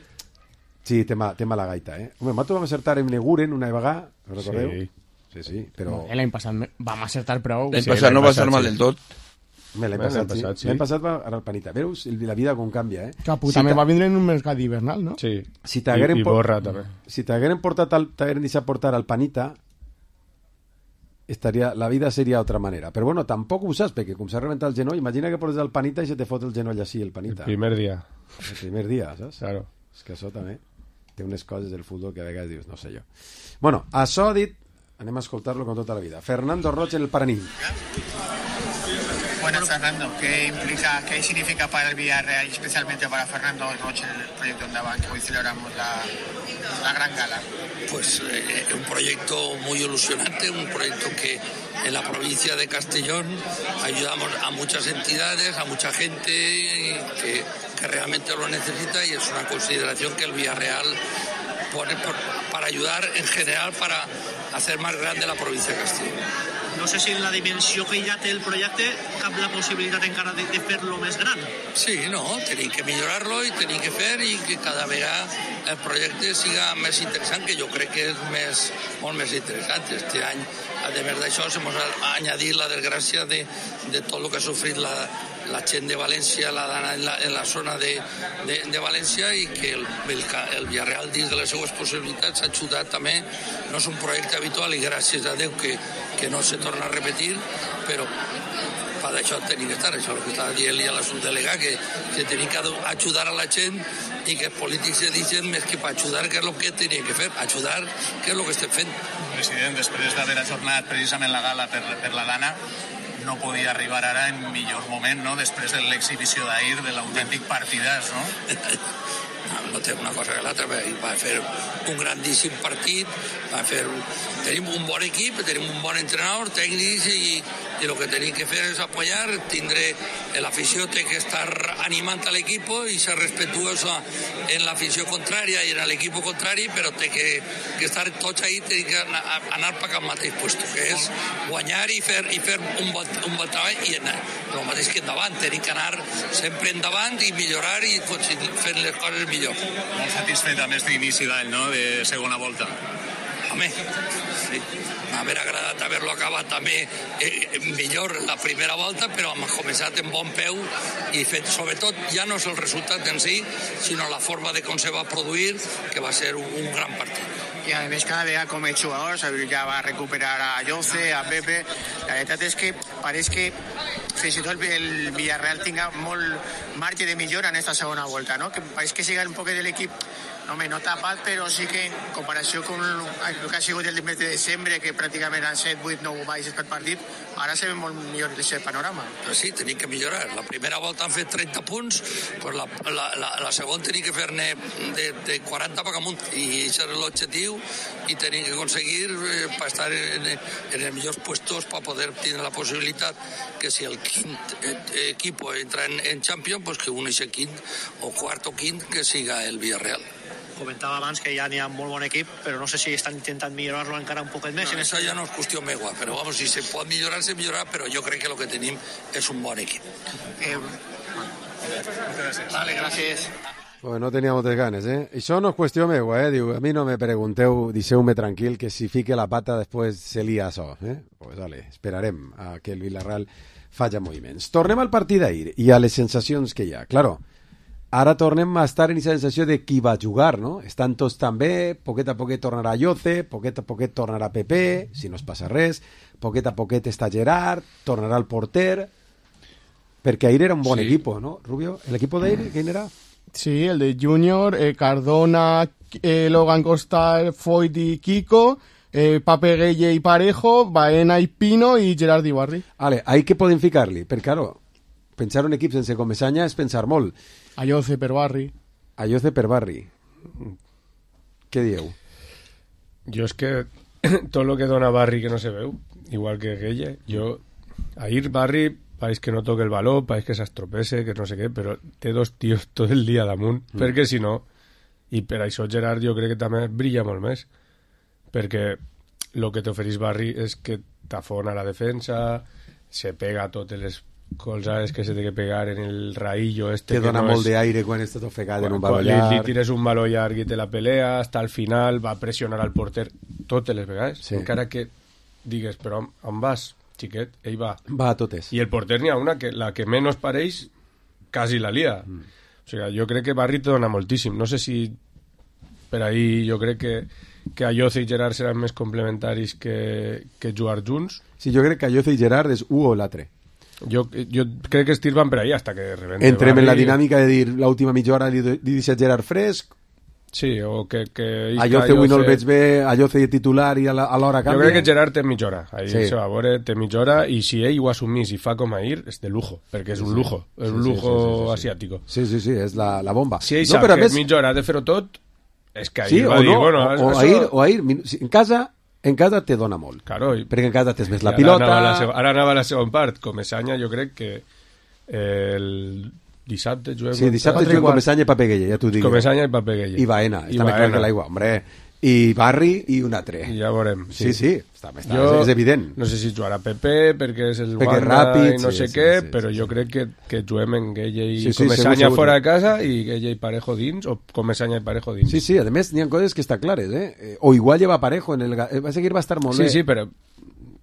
Sí, té, ma, té mala gaita, eh? Home, nosaltres vam acertar en Neguren una vegada, no recordeu? Sí. Sí, sí, però... No, l'any passat vam acertar prou. L'any passat sí, no va ser mal del tot. L'any passat, passat, sí. L'any passat va anar al Panita. Veus la vida com canvia, eh? Capu, si també va vindre en un mercat hivernal, no? Sí, si I, i borra por... també. Si t'hagueren portat al... t'hagueren deixat portar al Panita, estaria... la vida seria d'altra manera. Però bueno, tampoc ho saps, perquè com s'ha reventat el genoll, imagina que portes al Panita i se te fot el genoll així, el Panita. El primer dia. El primer dia, saps? Claro. És que això també té unes coses del futbol que a vegades dius, no sé jo. Bueno, això dit, anem a escoltar-lo con tota la vida. Fernando Roche en el Paraní. Buenas, Fernando. ¿Qué implica, qué significa para el Villarreal y especialmente para Fernando Roche el proyecto Ondaban, que hoy celebramos la, la gran gala? Pues eh, un proyecto muy ilusionante, un proyecto que en la provincia de Castellón ayudamos a muchas entidades, a mucha gente que, que realmente lo necesita, y es una consideración que el Villarreal pone por, para ayudar en general para hacer más grande la provincia de Castellón. No sé si en la dimensió que ja té el projecte cap la possibilitat encara de, de fer-lo més gran. Sí, no, tenim que millorar-lo i tenim que fer i que cada vegada el projecte siga més interessant, que jo crec que és més, molt més interessant. Este any, a més d'això, hemos añadit la desgràcia de, de tot el que ha sofrit la, la gent de València, la dana en la, en la zona de, de, de València, i que el, el, el Villarreal, dins de les seues possibilitats, ha ajudat també. No és un projecte habitual i gràcies a Déu que, que no se torna a repetir, però per això tenim que estar, això és el que estava dient a la subdelegada, que, que tenim que ajudar a la gent i que els polítics se dicen més que per ajudar, que és el que tenien que fer, ajudar, que és el que estem fent. President, després d'haver ajornat precisament la gala per, per la Dana, no podia arribar ara en millor moment, no?, després de l'exhibició d'ahir, de l'autèntic partidàs, no? No té una cosa que l'altra, va fer un grandíssim partit, va fer... Tenim un bon equip, tenim un bon entrenador, tècnics, i, i el que tenim que fer és apoyar, tindre... L'afició té que estar animant a l'equip i ser respetuosa en l'afició contrària i en l'equip contrari, però té que, que estar tots ahí, té que anar, anar per cap mateix puesto, que és guanyar i fer, i fer un bon, un bon treball, i anar, el mateix que endavant, tenim que anar sempre endavant i millorar i fer les coses millor. Molt satisfet amb aquest inici d'any, no?, de segona volta. Home, sí, m'haver agradat haver-lo acabat també eh, millor la primera volta, però hem començat en bon peu i fet, sobretot, ja no és el resultat en si, sinó la forma de com se va produir, que va ser un, un gran partit. I a més cada vegada com els jugadors ja va recuperar a Jose, a Pepe. La veritat és que pareix que fins i tot el Villarreal tinga molt marge de millora en esta segona volta, no? Que pareix que siga un poc de l'equip home, no tapat, però sí que en comparació amb el que ha sigut el mes de desembre, que pràcticament han set, vuit, nou baixes per partit, ara se ve molt millor aquest panorama. Però sí, tenim que millorar. La primera volta han fet trenta punts, pues la, la, la, la segona tenim que fer-ne de, de quaranta per amunt, i això és l'objectiu, i tenim que aconseguir eh, per estar en, en els millors puestos per poder tenir la possibilitat que si el quint eh, equip entra en, en Champions, pues que un ese quint o quart o quint que siga el Villarreal. Comentava abans que ja n'hi ha molt bon equip, però no sé si estan intentant millorar-lo encara un poquet més. No, això ja no és qüestió meua, però vamos, si se pot millorar, se millorarà, però jo crec que el que tenim és un bon equip. Eh, vale, gràcies. Pues no tenia moltes ganes, eh? Això no és qüestió meua, eh? Diu, a mi no me pregunteu, deixeu-me tranquil, que si fique la pata després se lia això, eh? Pues vale, esperarem a que el Villarreal faci moviments. Tornem al partit d'ahir i a les sensacions que hi ha. Claro, ara tornem a estar en aquesta sensació de qui va jugar, no? Estan tots també, poquet a poquet tornarà Yoce, poquet a poquet tornarà Pepe, si no es passa res, poquet a poquet està Gerard, tornarà el porter, perquè ahir era un bon sí. equip, no, Rubio? ¿El equip d'ahir, quin era? Sí, el de Junior, eh, Cardona, eh, Logan Costa, Foyt y Kiko, eh, Pape Gueye y Parejo, Baena y Pino y Gerard Ibarri. Vale, ahí que poden ficar-li? Perquè, claro, pensar un equip sense Comesaña és pensar molt. Ayoce per Barri. Ayoce per Barri. Què dieu? Jo és que tot el que dona Barri que no se veu, igual que Gueye, jo... Ahir Barri, pareix que no toca el valor, pareix que s'estropece, que no sé què, però té dos tios tot el dia damunt, mm. perquè si no... I per això Gerard jo crec que també brilla molt més, perquè el que t'ofereix Barri és que t'afona la defensa, se pega a totes les colzades que se té que pegar en el raïllo este. Te que dona no molt és... d'aire quan estàs ofegat en un Quan baló li, llarg. li tires un baló llarg i te la pelea, hasta el final va pressionar al porter totes les vegades, Sí. encara que digues, però on, on vas, xiquet? Ell va. Va a totes. I el porter n'hi ha una que la que menys pareix quasi la lia. Mm. O sigui, jo crec que Barri te dona moltíssim. No sé si per ahí jo crec que, que Ayoce i Gerard seran més complementaris que, que jugar junts. Sí, jo crec que Ayoce i Gerard és u o l'altre. Jo, jo crec que estirban per ahí hasta que rebente Entrem Barri. en la dinàmica de dir l'última mitja hora li, li deixa Gerard fresc. Sí, o que... que Ayoce avui no el veig bé, Ayoce de titular i a l'hora canvia. Jo crec que Gerard té mitja hora. Ahí Sí. se va a veure, té mitja hora, i si ell ho assumís i fa com ahir, és de lujo, perquè és un lujo, és Sí, un sí, lujo sí, sí, sí, sí. asiàtico. Sí, sí, sí, és la, la bomba. Si ell no, sap però a que més... mitja hora ha de fer-ho tot, és que ahir Sí, va o dir, no, bueno... o, o, això... ahir, o ahir, en casa... En casa te dona molt. Claro, i... perquè en casa tens més la I ara pilota... Anava la seg... Ara anava la segona part. Comesaña, jo crec que eh, el dissabte juguem... Sí, dissabte juguem Comesaña i Pape Gueye, ja t'ho dic. Comesaña i Pape Gueye. I Baena, I està més clar Baena. que l'aigua, hombre. I Barri i un altre. I ja veurem. Sí, sí, està, està, Jo és evident. No sé si jugarà Pepe, perquè és el Perquè Wanda ràpid, i no sí, sé sí, què, sí, però jo crec que, que juguem en Gueye i Sí, sí, Comesaña segur, segur. fora de casa i Gueye i Parejo dins, o Comesaña i Parejo dins. Sí, sí, a més n'hi ha coses que està clares, eh? Eh, O igual lleva Parejo en el... ga- eh, Va seguir, va estar molt Sí, bé. sí, però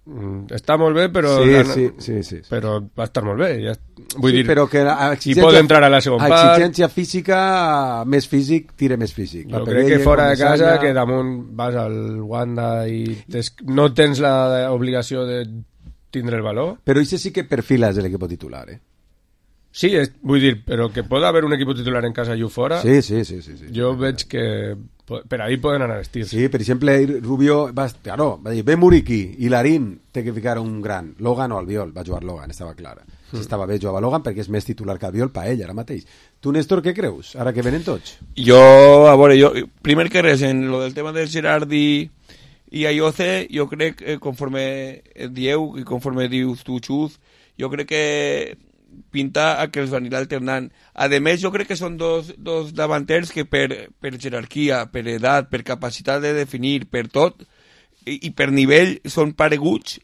mm, està molt bé, però Sí, la- sí, sí, sí. però va estar molt bé. Ja, vull Sí, dir, però que a si pot entrar a la segona a part... exigència física, més físic, tira més físic. Jo Pape crec que Gueye, fora de casa, Comesaña- que damunt vas al Wanda i tes, no tens l'obligació de tindre el valor. Però això sí que perfila és l'equip titular, eh? Sí, és, vull dir, però que pot haver un equip titular en casa i ho fora. Sí, sí, sí, sí, sí. Jo veig que po- per ahí poden anar els tirs. Sí, per exemple, Rubio va, claro, va dir, ve Muriqui i Larín té que ficar un gran. Logan o Albiol, va jugar Logan, estava clara. Si Mm. estava bé, jugava Logan perquè és més titular que Albiol per ell ara mateix. Tu, Néstor, què creus? Ara que venen tots. Jo, a veure, jo, primer que res, en lo del tema de Gerard i, i Ayoce, jo crec, eh, conforme dieu i conforme dius tu, Xuz, jo crec que pinta a que els van ir alternant. A més, jo crec que són dos, dos davanters que per, per jerarquia, per edat, per capacitat de definir, per tot, i, i per nivell són pareguts.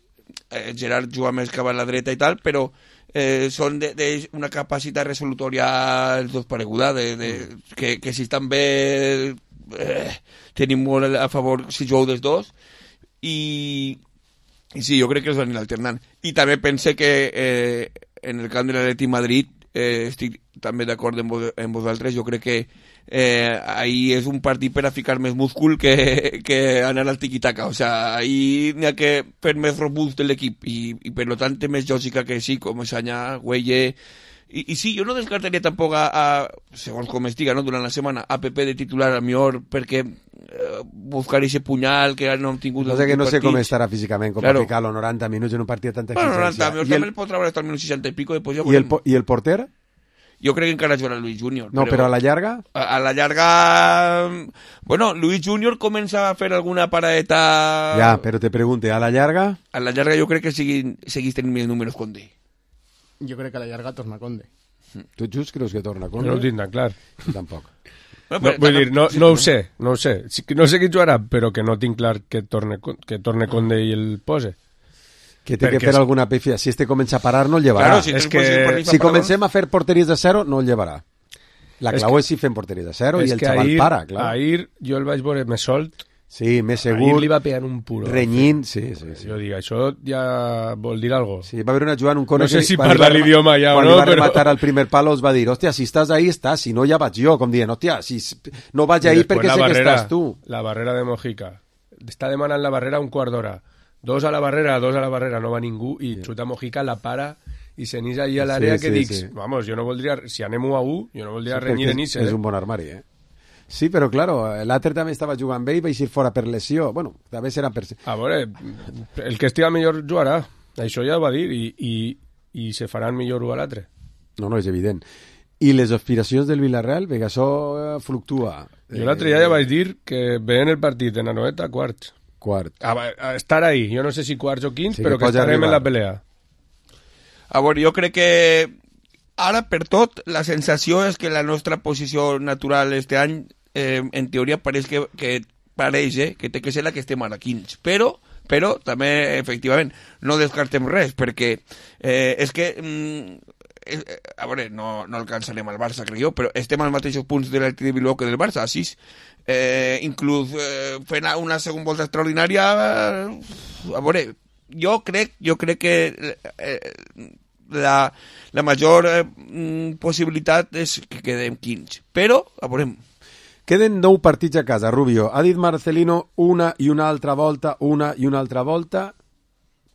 Eh, Gerard juga més cap a la dreta i tal, però eh, són d'una capacitat resolutòria els dos pareguda, de, de, que, que si estan bé eh, tenim molt a favor si jugueu dels dos, i, i sí, jo crec que els van ir alternant. I també pense que eh, en el camp de l'Atlètic Madrid eh, estic també d'acord amb, vos, amb vosaltres. Jo crec que eh, ahir és un partit per a ficar més múscul que, que anar al tiquitaca. O sea, ahir n'hi ha que fer més robust de l'equip i, i per lo tant té més lògica que sí, com Sanya, Güelle. I, I sí, jo no descartaria tampoc a, a segons com estiga, no?, durant la setmana, a Pepe de titular a millor perquè eh, buscar ese punyal que no hem tingut... No sé que no sé com estarà físicament, com claro. per ficar-lo noranta minuts en un partit de tanta bueno, exigència. noranta, també el pot treure hasta el minut seixanta i pico. Després ja I, el, I el porter? Jo crec que encara jugarà Luis Junior. No, però, però a la llarga? A, a la llarga... Bueno, Luis Junior comença a fer alguna paraeta... Ja, però te pregunte, a la llarga? A la llarga jo crec que seguís, seguís tenint més números Conde. Jo crec que a la llarga torna Conde. Tu, Just, creus que torna Conde? No ho tinc tan clar. Jo tampoc. No, no, vull dir, no, no ho sé, no ho sé. No sé qui jugarà, però que no tinc clar que torne, que torne Conde i el pose. Que té que fer alguna pifia. Si este comença a parar, no el llevarà. Claro, si és que... si comencem a fer porteries de zero, no el llevarà. La clau és, és si fem porteries de zero i el xaval ahir, para, clar. Ahir jo el vaig veure més solt. Sí, més segur. Ahir li va pegant un puro. Renyint, sí, sí, sí. Jo dic, això ja vol dir algo. Sí, va haver una jugada en un córner... No sé si parla l'idioma ja o no, però... Quan li va però... rematar al primer palo es va dir, hòstia, si estàs ahí, estàs, si no ja vaig jo, com dient, hòstia, si no vaig ahí perquè sé barrera, que estàs tu. La barrera de Mojica. Està demanant la barrera un quart d'hora. Dos a la barrera, dos a la barrera, no va ningú, i sí. Xuta Mojica la para i se n'és allà a l'àrea sí, que sí, dics, sí. Vamos, jo no voldria, si anem u a u, jo no voldria sí, renyir en Isse. És un bon armari, eh? Sí, però, claro, l'altre també estava jugant bé i va eixir fora per lesió. Bueno, també serà per... A veure, el que estiga millor jugarà. Això ja ho va dir, i, i, i se faran millor u a l'altre. No, no, és evident. I les aspiracions del Villarreal, perquè això fluctua. Jo l'altre dia ja vaig dir que veien el partit en Anoeta quarts. Quart. A, a estar ahí, jo no sé si quarts o quints, sí, però que, que estarem arribar. En la pelea. A veure, jo crec que ara, per tot, la sensació és que la nostra posició natural este any, eh, en teoria, pareix que, que pareix, eh, que té que ser la que estem ara, quints. Però, però també, efectivament, no descartem res, perquè eh, és que... Mm, eh, a veure, no, no alcançarem al Barça, crec jo, però estem als mateixos punts de l'Atlètic de Bilbao que del Barça, a sis. Eh, inclús eh, fent una segona volta extraordinària, eh, a veure, jo crec, jo crec que... Eh, La, la major eh, possibilitat és que quedem quinze. Però, a veurem. Queden nou partits a casa, Rubio. Ha dit Marcelino una i una altra volta, una i una altra volta,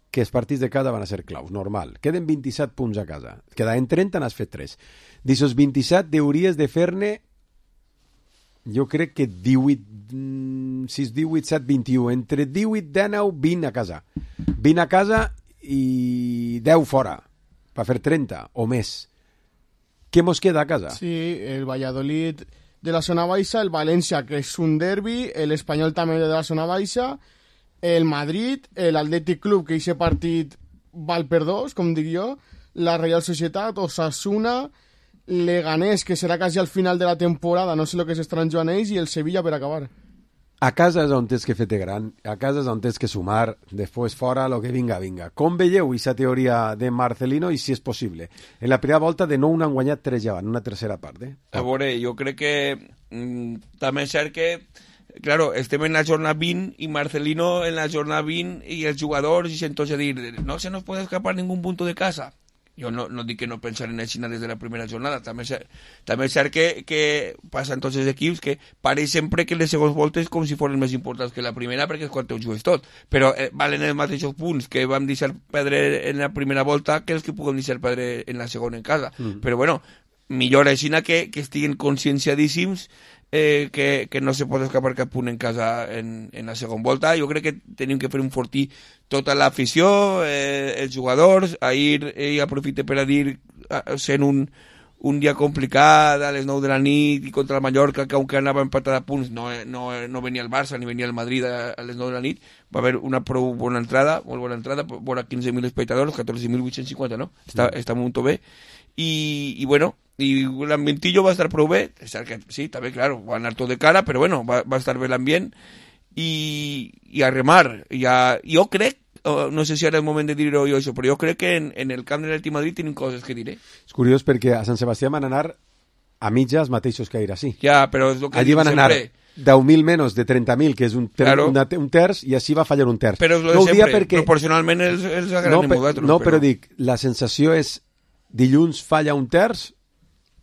que els partits de casa van a ser claus, normal. Queden vint-i-set punts a casa. Quedaven trenta, n'has fet tres. D'aquests vint-i-set hauries de fer-ne, jo crec que divuit, sis, divuit, set, vint-i-u. Entre divuit, dinou, vint a casa. vint a casa i deu fora. Va fer trenta o més. Què mos queda a casa? Sí, el Valladolid de la zona baixa, el València, que és un derbi, l'Espanyol també de la zona baixa, el Madrid, l'Atlètic Club, que aquest partit val per dos, com dic jo, la Real Societat, Osasuna, Leganés, que serà quasi al final de la temporada, no sé el que s'estaran jugant ells, i el Sevilla per acabar. A casa és on tens que fer-te gran, a casa és on tens que sumar, després fora, lo que vinga, vinga. Com veieu aquesta teoria de Marcelino i si és possible? En la primera volta de nou n'han guanyat tres ja, en una tercera part. Eh? A veure, jo crec que mm, també és cert que, claro, estem en la jornada vint i Marcelino en la jornada vint i els jugadors i entonces dir, no se nos puede escapar ningún punto de casa. Jo no, no dic que no pensar en Xina des de la primera jornada, també és, també és cert que, que passa en tots els equips que pareix sempre que les segons voltes com si foren més importants que la primera perquè és quan te ho jugues tot, però eh, valen els mateixos punts que vam deixar perdre en la primera volta que els que puguem deixar perdre en la segona en casa, mm. però bueno, millor així que, que estiguin conscienciadíssims eh, que, que no se pot escapar cap punt en casa en, en la segona volta. Jo crec que tenim que fer un fortí tota l'afició, eh, els jugadors. Ahir ell aprofita per a dir, sent un, un dia complicat, a les nou de la nit, i contra el Mallorca, que aunque anava empatat a punts, no, no, no venia el Barça ni venia el Madrid a, a les nou de la nit, va haver una prou bona entrada, molt bona entrada, vora quinze mil espectadors, catorze mil vuit-cents cinquanta, no? Està, està molt bé. I, i bueno, i l'ambientillo va estar prou bé, que, sí, també, claro, va anar tot de cara, però bueno, va, va estar bé l'ambient, i, i a remar, i a, jo crec, no sé si ara és el moment de dir-ho jo això, però jo crec que en, en el camp de l'Atlètic Madrid tenim coses que diré. És curiós perquè a Sant Sebastià van anar a mitjas mateixos que ahir així. Ja, però és el que allí van anar deu mil menys de trenta mil, que és un, ter claro. una, un terç, i així va fallar un terç. Però és el de no sempre, perquè... proporcionalment els, els agraden no, vosaltres. No, però... però dic, la sensació és dilluns falla un terç,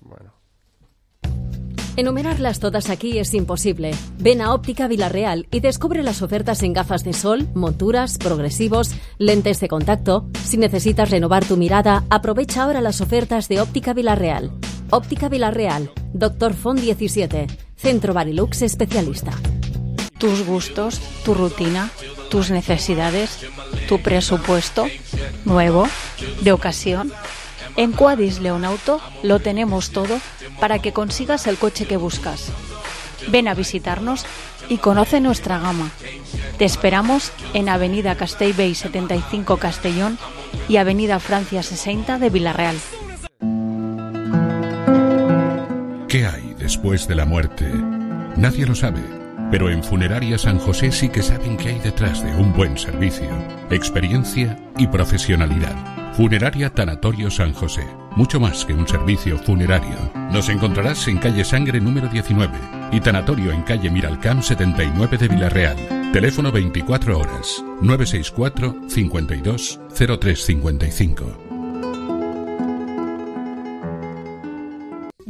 Bueno. Enumerarlas todas aquí es imposible. Ven a Óptica Villarreal y descubre las ofertas en gafas de sol, monturas, progresivos, lentes de contacto. Si necesitas renovar tu mirada, aprovecha ahora las ofertas de Óptica Villarreal. Óptica Villarreal, Doctor Font diecisiete, Centro Barilux especialista. Tus gustos, tu rutina, tus necesidades, tu presupuesto, nuevo, de ocasión. En Quadis Leonauto lo tenemos todo para que consigas el coche que buscas. Ven a visitarnos y conoce nuestra gama. Te esperamos en Avenida Castellbell setenta y cinco Castellón y Avenida Francia sesenta de Villarreal. ¿Qué hay después de la muerte? Nadie lo sabe, pero en Funeraria San José sí que saben qué hay detrás de un buen servicio, experiencia y profesionalidad. Funeraria Tanatorio San José, mucho más que un servicio funerario. Nos encontrarás en calle Sangre número diecinueve y Tanatorio en calle Miralcamp setenta y nueve de Villarreal. Teléfono veinticuatro horas, nueve seis cuatro, cincuenta y dos, cero tres cincuenta y cinco.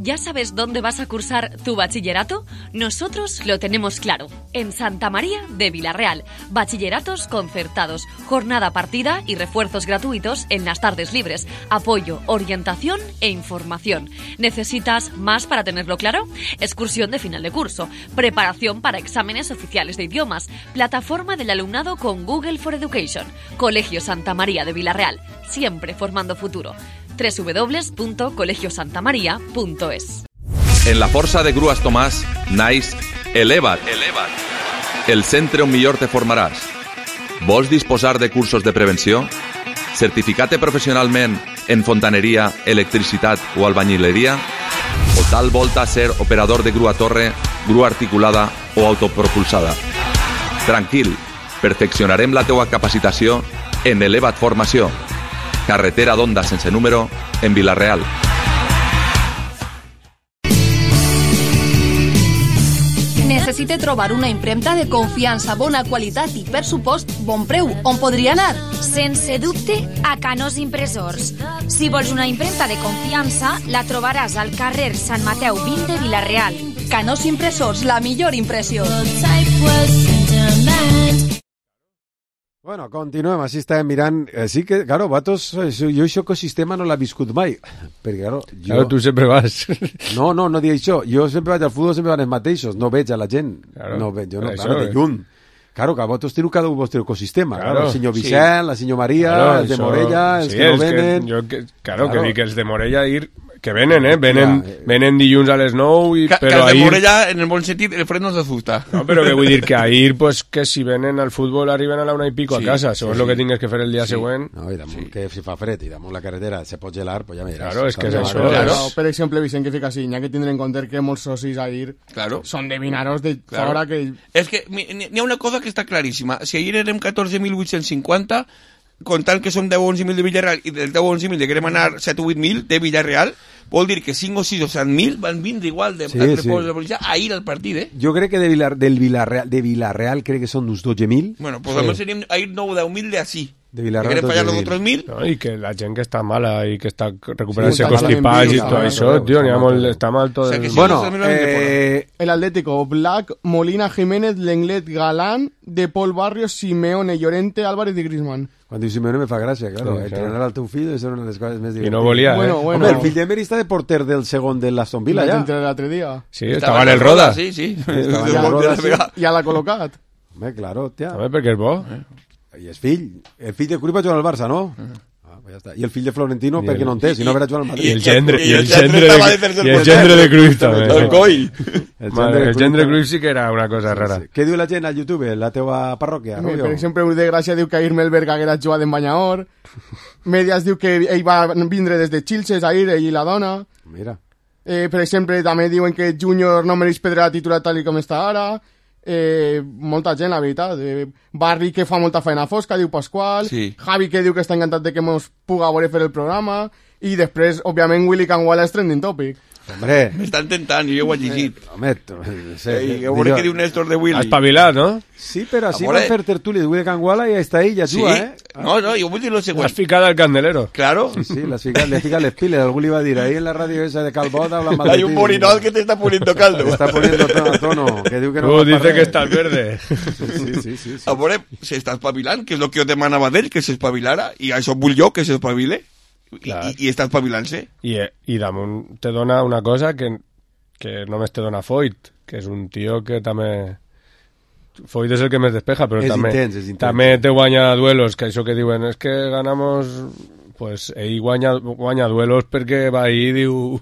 ¿Ya sabes dónde vas a cursar tu bachillerato? Nosotros lo tenemos claro. En Santa María de Villarreal. Bachilleratos concertados, jornada partida y refuerzos gratuitos en las tardes libres. Apoyo, orientación e información. ¿Necesitas más para tenerlo claro? Excursión de final de curso. Preparación para exámenes oficiales de idiomas. Plataforma del alumnado con Google for Education. Colegio Santa María de Villarreal. Siempre formando futuro. doble u doble u doble u punto colegio santa maría punto es. En la Força de Grues Tomàs naix Eleva't, Eleva't, el centre on millor te formaràs. Vols disposar de cursos de prevenció? Certificar-te professionalment en fontaneria, electricitat o albañileria? O tal volta ser operador de grua torre, grua articulada o autopropulsada? Tranquil, perfeccionarem la teua capacitació en Eleva't Formació. Carretera d'Onda sense número, en Villarreal. Necessite trobar una impremta de confiança, bona qualitat i, per supost, bon preu. On podria anar? Sense dubte, a Canós Impressors. Si vols una impremta de confiança, la trobaràs al carrer Sant Mateu vint de Villarreal. Canós Impressors, la millor impressió. Bueno, continuem, així estàvem mirant. Eh, sí que, claro, vatos, jo això ecosistema no l'he viscut mai. Perquè, claro, jo... Claro, tu sempre vas. No, no, no dic això. Jo sempre vaig al futbol, sempre van els mateixos. No veig a la gent. Claro. No veig, jo no, Això, claro, de eh? lluny. Claro, que vosaltres teniu cada un vostre ecosistema. Claro, Claro, el senyor sí. Vicent, la senyor Maria, Claro, els de això- Morella, els sí, que no els que- venen... jo que- claro, Claro. que dic els de Morella ir... Que venen, eh? Venen, Ja, eh. venen dilluns a les nou, i, Que, que però el de ahir... Morella, en el bon sentit, el fred no se asusta. No, però que vull dir que ahir, pues, que si venen al futbol arriben a la una i pico Sí, a casa, sí, segons sí. el que tingues que fer el dia Sí. següent. No, i damunt que si fa fred i damunt la carretera se pot gelar, pues ja me diràs. Claro, és que és Saps? això, Claro, és- per exemple, Vicent, que fica així, n'hi ha que tindre en compte que molts socis ahir Claro. són de Vinaros de Claro. fora que... És que mi- n'hi ha una cosa que està claríssima. Si ahir érem catorze mil vuit-cents cinquanta, comptant que som deu o onze mil de Villarreal i del deu o onze mil de querem anar set o vuit mil de Villarreal, vol dir que cinc o sis o set mil van vindre igual de Sí, altres sí. pobles de policia ahir al partit, eh? Jo crec que de Vilar, del Villarreal, de Villarreal crec que són uns dotze mil. Bueno, pues sí. Almenys seríem ahir nou o deu mil de així. De Que Villarreal, querem fallar los dotze mil. otros mil. No, i que la gent que està mala i que està recuperant-se Sí, constipats i està tot malament, això, però tio, n'hi ha està molt, mal. està mal tot O sea, el... que sí, Bueno, eso también lo eh, El Atlético, Black, Molina, Jiménez, Lenglet, Galán, De Paul Barrios, Simeone, Llorente, Álvarez i Griezmann. Quan diu Simeone me fa gràcia, claro. Sí, Sí, claro. entrenar al teu fill és una de les coses més divertides. no volia, eh? Bueno, bueno. Home, el fill d'Emery està de porter del segon de l'Aston Villa, Vaig ja. entrar l'altre dia. Sí, estava en el Roda. Sí, sí. Estava en Ja, el Roda, sí. ja l'ha col·locat. Home, claro, hòstia. Home, perquè és bo. I és fill. El fill de Cruyff va jugar al Barça, no? Ah, pues ja està. I el fill de Florentino, I per què el- no en té? Si no haurà jugat al I Madrid. el gendre, i el el gendre gendre estava de de, tercer i el porter. gendre de Cruyff també. El coi. El Madre, el Cruyff gendre també. Cruyff sí que era una cosa rara. Sí. Què diu la gent al YouTube, la teva parròquia, Per Rubio? exemple, un de Gràcia diu que ahir Melberg haguera jugat en Banyaor. Medias diu que ell va vindre des de Xilxes ahir, ell i la dona. Mira. Eh, per exemple, també diuen que Júnior no mereix perdre la titular tal i com està ara. Eh, molta gent, la veritat. Eh, Barri, que fa molta feina fosca, diu Pasqual. Sí. Javi, que diu que està encantat de que mos puga veure fer el programa. I després, òbviament, Willy Canguala és trending topic. Hombre. M'estan tentant, jo ho he llegit. Home, no sé. Ei, a veure què diu Néstor de Ha Willy. espavilat, no? Sí, però així Amore. van fer tertúlia de Willy Canguala i està ell, ja Sí, juga, eh? No, no, jo vull dir lo següent. L'has ficat al candelero. Claro. Sí, sí, l'has ficat, le ficat les piles. Algú li va dir, ahí en la ràdio esa de Calbot hablan mal de Hay un morinol que te está poniendo caldo. Te está poniendo tono a tono. Que diu que no Tú va dice parlar. que estás verde. Sí, sí, sí. sí, sí. A veure, s'està espavilant, que és el que jo demanava d'ell, que s'espavilara, i això vull jo, que s'espavile, i, i, i està espavilant-se. I, i damunt te dona una cosa que, que només te dona Foyt, que és un tio que també... Foyt és el que més despeja, però és també, intens, és intens. també te guanya duelos, que això que diuen, és que ganamos... Pues ell guanya, guanya duelos perquè va ahí i diu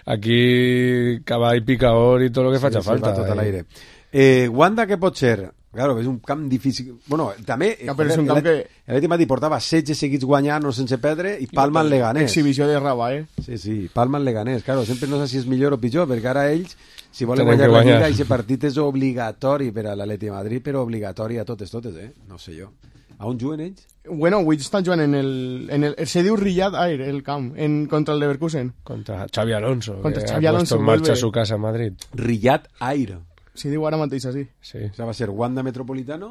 aquí cavall picador i tot el que sí, faci sí, falta. Va tot a l'aire. Eh, Wanda, què pot ser? Claro, és un camp difícil. Bueno, també... Ja, però és un camp que... L'Atlètic Madrid portava setze seguits guanyant o sense perdre i palma el Leganés. Exhibició de Raba, eh? Sí, sí, palma el Leganés. Claro, sempre no sé si és millor o pitjor, perquè ara ells, si volen Tenen guanyar que la guanyar. Lliga, aquest partit és obligatori per a l'Atlètic Madrid, però obligatori a totes, totes, eh? No sé jo. A on juguen ells? Bueno, avui estan jugant en el... En el se diu Riyad Air, el camp, en, contra el Leverkusen. Contra Xavi Alonso, Contra que Xavi ha Alonso, puesto en marcha vuelve. su casa en Madrid. Riyad Air. Si diu ara mateix així. Sí. O sea, va a ser Wanda Metropolitano,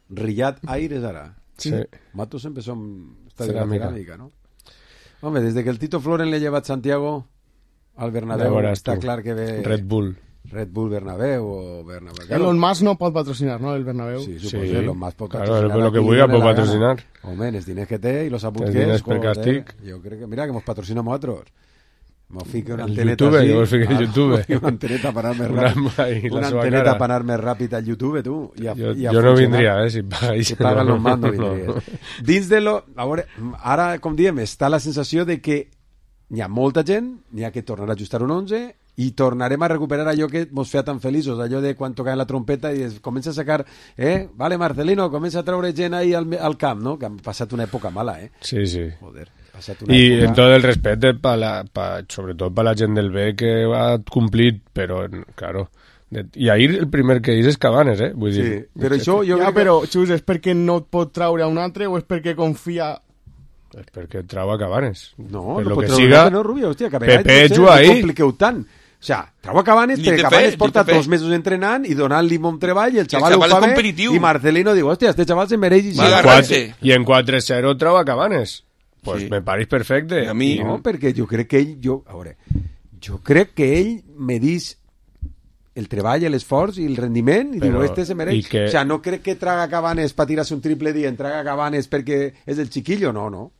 Riyad Air és ara. Sí. Matos empezó en estadio de Cerámica. cerámica, ¿no? Hombre, desde que el Tito Floren le lleva a Santiago al Bernabéu, Ya verás está tú. clar que ve... Red Bull. Red Bull Bernabéu o Bernabéu. Elon Musk no pot patrocinar, no, el Bernabéu. Sí, Sí, suposo, Elon Musk pot claro, patrocinar. lo que a qui vulga li pot dóna la gana. patrocinar. Home, els diners que té i los apunts Els que diners és, per joder, càstig. jo crec que, mira, que mos patrocina a nosaltres. Mos fica una El anteneta YouTube, así. que vos fiqueu Ah, YouTube. Una anteneta per anar més Una ràpid. ahí, la Una seva anteneta cara. per anar més ràpid al YouTube, tu. I a, Jo, i a jo no funcionar. vindria, eh, si pagués. Si paguen no, los más, no no, no. vindries. Dins de lo... A veure, ara, com diem, està la sensació de que hi ha molta gent, n'hi ha que tornar a ajustar un onze i tornarem a recuperar allò que mos feia tan feliços, allò de quan tocaven la trompeta i es comença a sacar, eh, vale, Marcelino, comença a treure gent ahí al, al camp, no? Que han passat una època mala, eh? Sí, sí. Joder, ha passat una Y època... en todo el respeto, pa la, pa, sobre todo para la gent del B que ha cumplit, però, claro... De, I ahir el primer que és Cabanes, eh? Vull Sí, dir, però això jo Ja, crec que... però, Xus, és perquè no et pot traure a un altre o és perquè confia... és perquè trau a Cabanes. No, per no lo pot que treure siga, un altre, no, Rubio, hòstia, que a vegades Pepe potser juga no ahí. compliqueu tant. O sea, trau a Cabanes Ni perquè te Cabanes fe, porta ni te fe. dos mesos entrenant i donant-li bon treball i el xaval, xaval ho fa és bé competitiu. i Marcelino diu, hòstia, este xaval se mereix i Va I en agarrar-se. quatre- i en quatre cero trau a Cabanes. Pues Sí. me pareix perfecte. I a mi- No, perquè jo crec que ell... Jo, a veure, jo crec que ell medís el treball, l'esforç i el rendiment i Però- diu, este se mereix. i que- O sea, no crec que traga Cabanes per tirar-se un triple dient, traga Cabanes perquè és el chiquillo, no, no.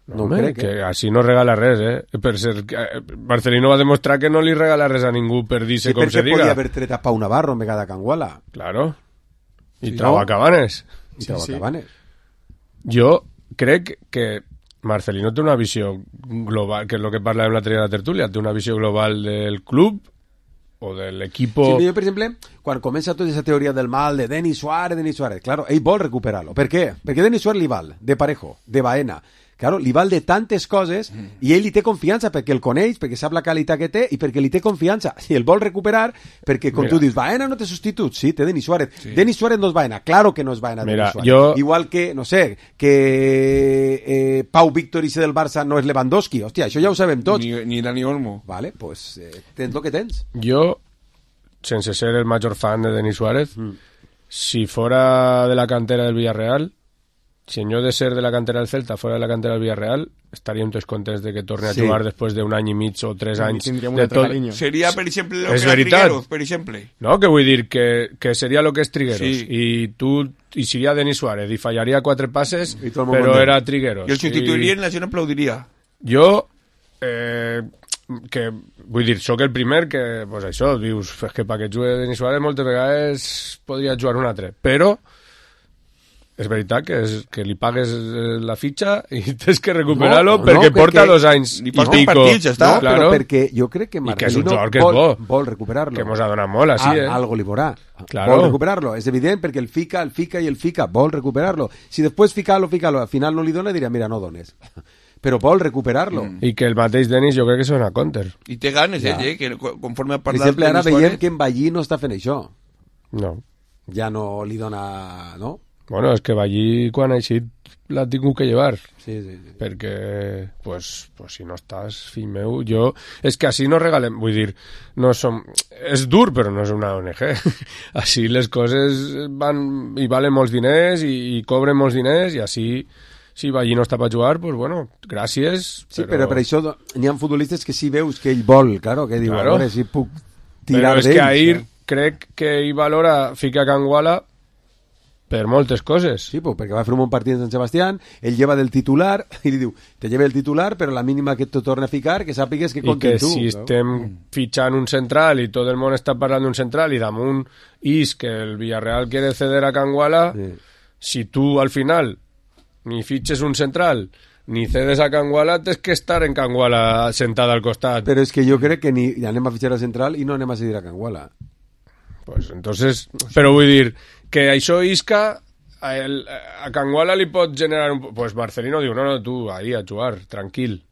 No Home, crec, que eh? així no regala res, eh? Per ser, eh, Marcelino va demostrar que no li regala res a ningú per dir-se Sí, com se perquè podia diga. haver tret a Pau Navarro en vegada Canguala. Claro. I Sí, trau no? a Cabanes. I trau a sí. Cabanes. Jo crec que Marcelino té una visió global, que és el que parlàvem l'altre dia de la tertúlia, té una visió global del club o de l'equipo... Sí, jo, per exemple, quan comença tota aquesta teoria del mal de Denis Suárez, Denis Suárez, claro, ell vol recuperar-lo. Per què? Perquè Denis Suárez li val de Parejo, de Baena, claro, li val de tantes coses i ell li té confiança perquè el coneix, perquè sap la qualitat que té i perquè li té confiança. I el vol recuperar perquè, com Mira. tu dius, Baena no té substitut. Sí, té Denis Suárez. Sí. Denis Suárez no és Baena. Claro que no és Baena. Mira, Denis Suárez. jo- Igual que, no sé, que eh, Pau Víctor i del Barça no és Lewandowski. Hòstia, això ja ho sabem tots. Ni, ni Dani Olmo. Vale, pues eh, tens el que tens. Jo, sense ser el major fan de Denis Suárez, Mm. si fuera de la cantera del Villarreal, si en yo de ser de la cantera del Celta fuera de la cantera del Villarreal, estaríem tots contents de que torne Sí. a jugar després d'un any i mig o tres Sí, anys. tindríem un de altre tot- carinyo. Seria, per exemple, lo És que era veritat. Trigueros, per exemple. No, que vull dir que, que seria lo que és Trigueros. Sí. I tu i seria Denis Suárez i fallaria quatre passes, I tot el món però content. era Trigueros. I el substituirien, la gent aplaudiria. Jo, eh, que vull dir, sóc el primer que, pues això, dius, és que perquè jugui Denis Suárez moltes vegades podria jugar un altre, però és veritat que, és, que li pagues eh, la fitxa i tens que recuperar-lo No, no, perquè perquè porta dos anys li i falten pico. partits, ja està. No, Claro. però perquè jo crec que I que és un Marcelino jugador que és vol, bo. vol recuperar-lo. Que mos ha donat molt, així, eh? A, algo li veurà. Claro. Vol recuperar-lo. És evident perquè el fica, el fica i el fica. Vol recuperar-lo. Si després fica-lo, fica-lo, al final no li dona, dirà, mira, no dones. Però vol recuperar-lo. Mm. I que el mateix Denis jo crec que són a counter. I té ganes, Ja. ell, eh? Que co- conforme ha Per parlat... exemple, ara Denis veiem Suárez, que en Ballí no està fent això. No. Ja no li dona... No? Bueno, és que va allí quan ha eixit l'ha tingut que llevar. Sí, sí, sí. Perquè, pues, pues si no estàs, fill meu, jo... És que així no regalem, vull dir, no som... És dur, però no és una O N G. Així les coses van i valen molts diners i, i cobren molts diners i així, si va allí no està per jugar, pues bueno, gràcies. Sí, però, però per això n'hi ha futbolistes que sí veus que ell vol, claro, que diu, claro. A veure si puc tirar d'ells. Però és que ahir eh? crec que ell valora ficar Canguala per moltes coses. Sí, pues, perquè va fer un bon partit en Sant Sebastián, ell lleva del titular, i li diu, te lleva el titular, però la mínima que te torna a ficar, que sàpigues que compta tu. I que si no? estem fitxant un central i tot el món està parlant d'un central i damunt is que el Villarreal quiere ceder a Canguala, sí. Si tu al final ni fitxes un central ni cedes a Canguala, tens que estar en Canguala sentada al costat. Però és que jo crec que ni anem a fitxar a central i no anem a cedir a Canguala. Pues entonces, però vull dir que això Isca a, el, a Canguala li pot generar un... Pues Marcelino diu, no, no, tu, ahí a jugar, tranquil.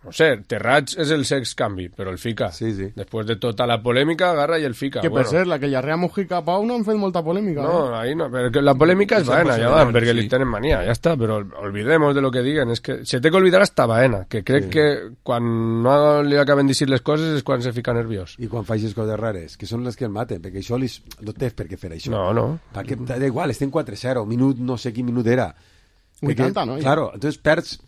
No sé, Terrats és el sex canvi, però el fica. Sí, sí. Després de tota la polèmica, agarra i el fica. Que per bueno. ser, la que Llarrea Mujica Pau no han fet molta polèmica. No, eh? ahí no, però la polèmica és Baena, ja van, perquè sí. Li tenen mania, ja està, però olvidemos de lo que diguen. És que se té que olvidar hasta Baena, que crec sí. que quan no li acaben de dir les coses és quan se fica nerviós. I quan faig coses rares, que són les que el maten, perquè això li... no té per què fer això. No, no. Perquè, da igual, estem quatre zero, minut, no sé quin minut era. vuitanta, no? Claro, entonces perds...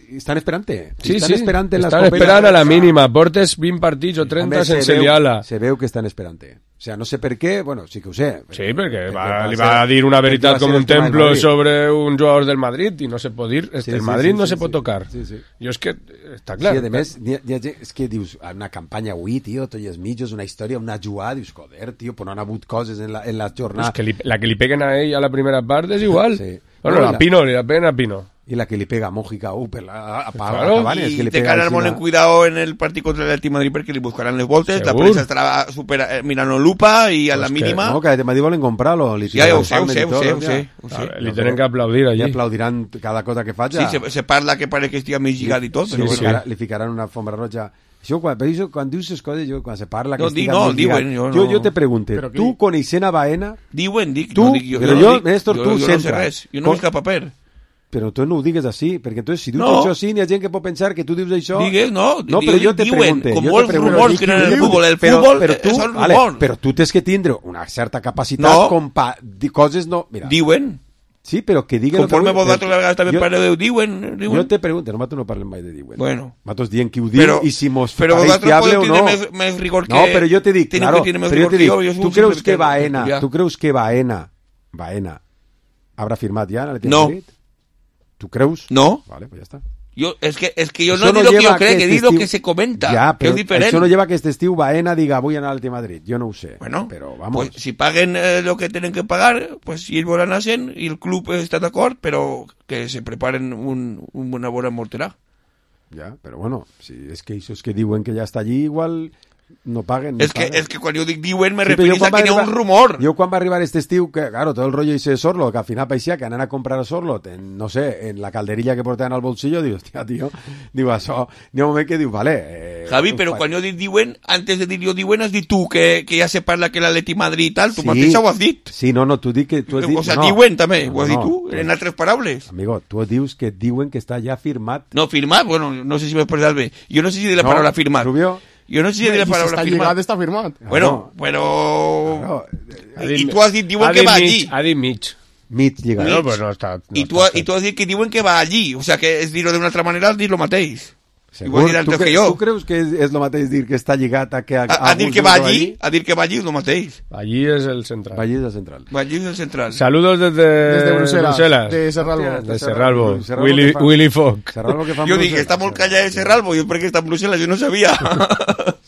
Estan esperant-te. Sí, estan sí, esperant en estan esperant a la mínima. Portes vint partits o trenta Home, sense se liar-la. Se veu que estan esperant-te. O sea, no sé per què, bueno, sí que ho sé. Sí, perquè va, va li va a dir una veritat com un templo sobre un jugador del Madrid i no se pot dir, sí, el sí, Madrid sí, no sí, se pot sí, tocar. Sí, sí. Jo és que, està clar. Sí, a més, hi ha, hi ha, és que dius, una campanya avui, tio, tots els mitjos, una història, una jugada, dius, joder, tio, però no han hagut coses en la, en la jornada. Pues que li, la que li peguen a ell a la primera part és igual. Sí. Bueno, no, la, la Pino, li la peguen a Pino. Y la que le pega a Mójica, uh, per la, a, a, claro, a Cabanes, y que le te pega quedarán molt en cuidado en el partit contra el Atleti Madrid perquè li buscaran les voltes, Segur. La premsa estarà super, eh, mirant lupa i a pues la mínima... Que, no, que el Madrid volen comprar-lo. Li ja, ja ho sé, ho sé, ho sé, ho sé, ho sé. Li tenen que aplaudir allí. I aplaudiran cada cosa que faig. Sí, se, se parla que pare que estigui més lligat i tot. Sí, però sí, bueno. sí. Li ficaran una alfombra roja. Això, quan, però això, quan dius les coses, jo, quan se parla... No, que di, no, diuen, jo, jo, no. jo te pregunte, tu coneixent a Baena... Diuen, dic, tu, no dic jo. Però jo, jo, dic, Néstor, jo, tu jo sempre... no sé res, jo no veig cap paper. Però tu no ho digues així, perquè entonces, si dius no. això així, n'hi ha gent que pot pensar que tu dius això... Digues, no, no però jo te diuen, pregunte, com jo molts rumors que en el futbol, el però, futbol però tu, són rumors. Vale, però tu tens que tindre una certa capacitat no. com pa... Dir coses no... Mira, diuen. Sí, però que diguen... Conforme vosaltres la vegada també parleu, diuen, diuen. Jo te pregunto, nosaltres no parlem mai de diuen. Bueno. Nosaltres diem qui ho diu però, i si mos però pareix fiable o no. Més, més rigor que... No, però jo te dic, claro, però jo te dic, jo, jo tu creus que Baena, tu creus que Baena, Baena, habrà firmat ja en el No. Madrid? ¿Tú creus? No. Vale, pues ya está. Yo, es que, es que yo no, no digo que yo creo, que digo estiu... que se comenta. Ya, que pero es diferente. eso no lleva que este estiu Baena diga voy a anar al Atlético de Madrid. Yo no ho sé. Bueno, pero vamos. Pues si paguen eh, lo que tienen que pagar, pues si ells volen hacen y el club está de acuerdo, pero que se preparen un, un una bona morterà. Ya, pero bueno, si es que esos que diuen que ya está allí, igual no paguen. Es no que, paguen. es que quan jo dic diuen me sí, referís a que hi ha un rumor. Jo quan va arribar este estiu, que claro, todo el rollo ese de Sorlo, que al final parecía que anan a comprar a Sorlo, en, no sé, en la calderilla que portaven al bolsillo, digo, hostia, tío, digo, això, ni un moment que diu, vale. Eh, Javi, però quan jo dic diuen, antes de dir jo diuen, has dit tu que, que ja se parla que l'Atleti Madrid i tal, tu sí, mateix ho has dit. Sí, no, no, tu dic que tu has dit... O sea, no, diuen també, no, ho has no, dit tu, pues, en altres paraules. Amigo, tu dius que diuen que està ja firmat. No, firmat, bueno, no sé si m'he expressat bé. Jo no sé si de la no, paraula firmat. Rubio... Jo no sé si de la paraula si firmat. Està firmat. Bueno, però... Claro. I tu has dit, diuen que va allí. Ha dit mig. Mig lligat. No, pues no està, no I, tu, I tu has dit que diuen que va allí. O sea, que és dir-ho d'una altra manera, és dir lo mateix. Segur, dir tu, que, que jo. tu creus que és, és lo mateix dir que està lligat a que... A, a, a dir que va allí, a dir que va allí és lo mateix. Allí és el central. Allí és el central. Allí és el central. Saludos desde, desde Bruselas. Bruselas. De Serralbo. De Serralbo. Serralbo Willy, fa, Willy Fogg. Serralbo que fa jo dic, està molt callat de Serralbo, jo perquè està en Bruselas, jo no sabia.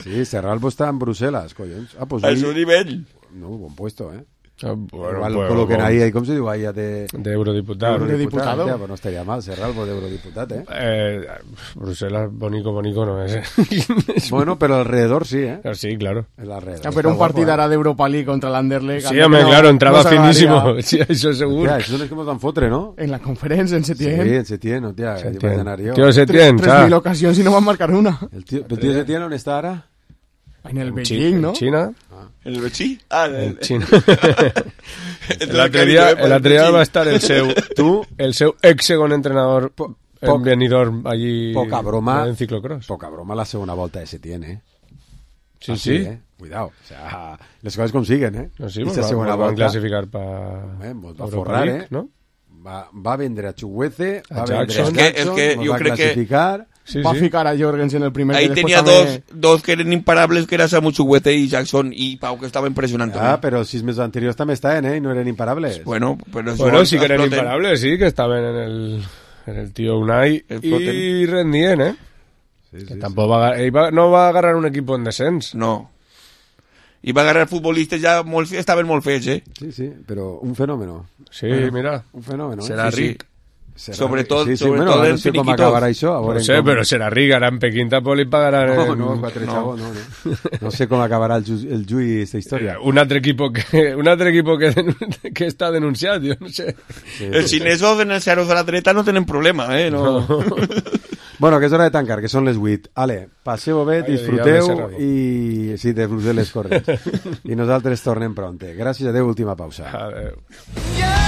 Sí, Serralbo està en Bruselas, collons. Ah, pues al seu nivell. No, bon puesto, eh. Ah, bueno, igual pues, coloquen bueno. ahí, ¿cómo se dice? Ahí de... De eurodiputado. Eurodiputado. Ya, pues no estaría mal, Serralbo de eurodiputado, ¿eh? eh Bruselas, bonico, bonico no es. Bueno, pero alrededor sí, ¿eh? Sí, claro. El alrededor. Ah, pero un partido hará de Europa League contra el Anderlecht. Sí, hombre, no, claro, entraba no finísimo. Sí, eso seguro. Tía, eso no es como tan fotre, ¿no? En la conferencia, en Setién. Sí, en Setién, no, tía. Setién. Tío, Setién, Tres mil ocasiones y no van a marcar una. El tío, ¿el tío Setién dónde está ahora? En el Beijing, ¿no? En China. En el Beijing? Ah, en el China. L'altre dia, l'altre dia va estar el seu, tu, el seu ex-segon entrenador en Benidorm, allí poca broma, en ciclocross. Poca broma la segona volta de Setién, eh? Sí, Así, sí. Eh? Cuidado, o sea, les coses com siguen, eh? No, sí, Esta va, segona van volta, classificar per eh, va a forrar, eh? ¿no? Va, va a vendre a Chuguece, va a a vendre Jackson. a Es que, es que nos yo va a creo que clasificar. Sí, va sí. a ficar a Jorgensen el primer. Ahí que tenía después dos, dos que eran imparables, que era Samu Chuguete y Jackson, y Pau, que estaba impresionante. Ah, pero sis mesos anteriors també estaven, eh? I no eren imparables. Bueno, pero eso Bueno, sí que eran exploten. imparables, sí, que estaban en el, en el tío Unai Exploten. y rendían, ¿eh? Sí, que sí, tampoco va a, agar- ell va- no va a agarrar un equipo en descens. No. I va agarrar futbolistes ja molt, estaven molt fets, eh? Sí, sí, pero un fenómeno. Sí, Bueno, mira. Un fenómeno, eh? Serà Sí, sí. ric. Serà Sobretot, ric. Sí, sí, sobretot bueno, en no sé com finiquitos. acabarà això. A No veure sé, com... però serà ric. Ara en Pequín tampoc li pagaran... No, en- no, quatre chavos, no, no. No sé com acabarà el, ju el Jui esta història. Un altre equipo que, un altre equipo que, denun- que està denunciat, jo no sé. Sí, Els xinesos en els zeros de la dreta no tenen problema, eh? No. Bueno, que és hora de tancar, que són les vuit. Ale, passeu bé, Ai, disfruteu diable, i... Sí, de Brussel·les, correcte. I nosaltres tornem pronte. Gràcies, adeu, última pausa. Adeu.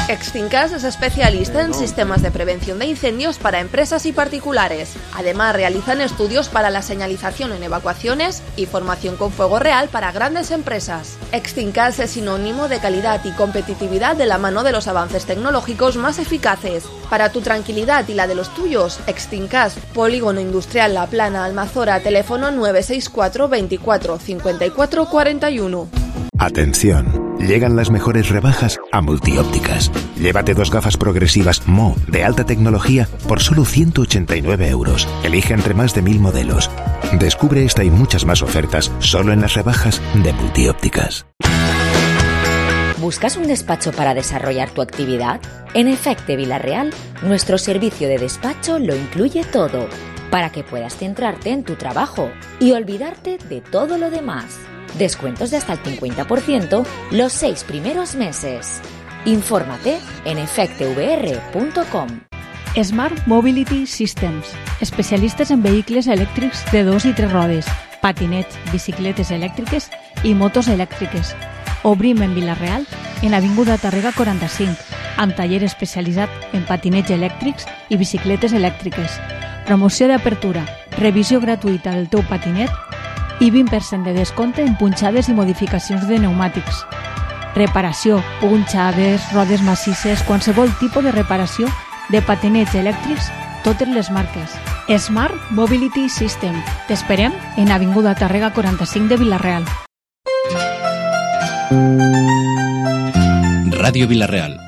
Extincas es especialista en sistemas de prevención de incendios para empresas y particulares. Además, realizan estudios para la señalización en evacuaciones y formación con fuego real para grandes empresas. Extincas es sinónimo de calidad y competitividad de la mano de los avances tecnológicos más eficaces. Para tu tranquilidad y la de los tuyos, Extincas, Polígono Industrial La Plana, Almazora, teléfono nueve seis cuatro veinticuatro cincuenta y cuatro cuarenta y uno. Atención, llegan las mejores rebajas a Multiópticas. Llévate dos gafas progresivas Mo de alta tecnología por solo ciento ochenta y nueve euros. Elige entre más de mil modelos. Descubre esta y muchas más ofertas solo en las rebajas de Multiópticas. ¿Buscas un despacho para desarrollar tu actividad? En Efecte Villarreal, nuestro servicio de despacho lo incluye todo, para que puedas centrarte en tu trabajo y olvidarte de todo lo demás. Descuentos de hasta el cincuenta por ciento los seis primeros meses. Infórmate en efecte v r punto com. Smart Mobility Systems, especialistes en vehicles elèctrics de dos i tres rodes, patinets, bicicletes elèctriques i motos elèctriques. Obrim en Vila-real, en Avinguda Tàrrega quaranta-cinc, amb taller especialitzat en patinets elèctrics i bicicletes elèctriques. Promoció d'apertura, revisió gratuïta del teu patinet i vint per cent de descompte en punxades i modificacions de pneumàtics. Reparació, punxades, rodes massisses, qualsevol tipus de reparació de patinets elèctrics, totes les marques. Smart Mobility System. T'esperem en Avinguda Tàrrega quaranta-cinc de Vila-real. Radio Villarreal,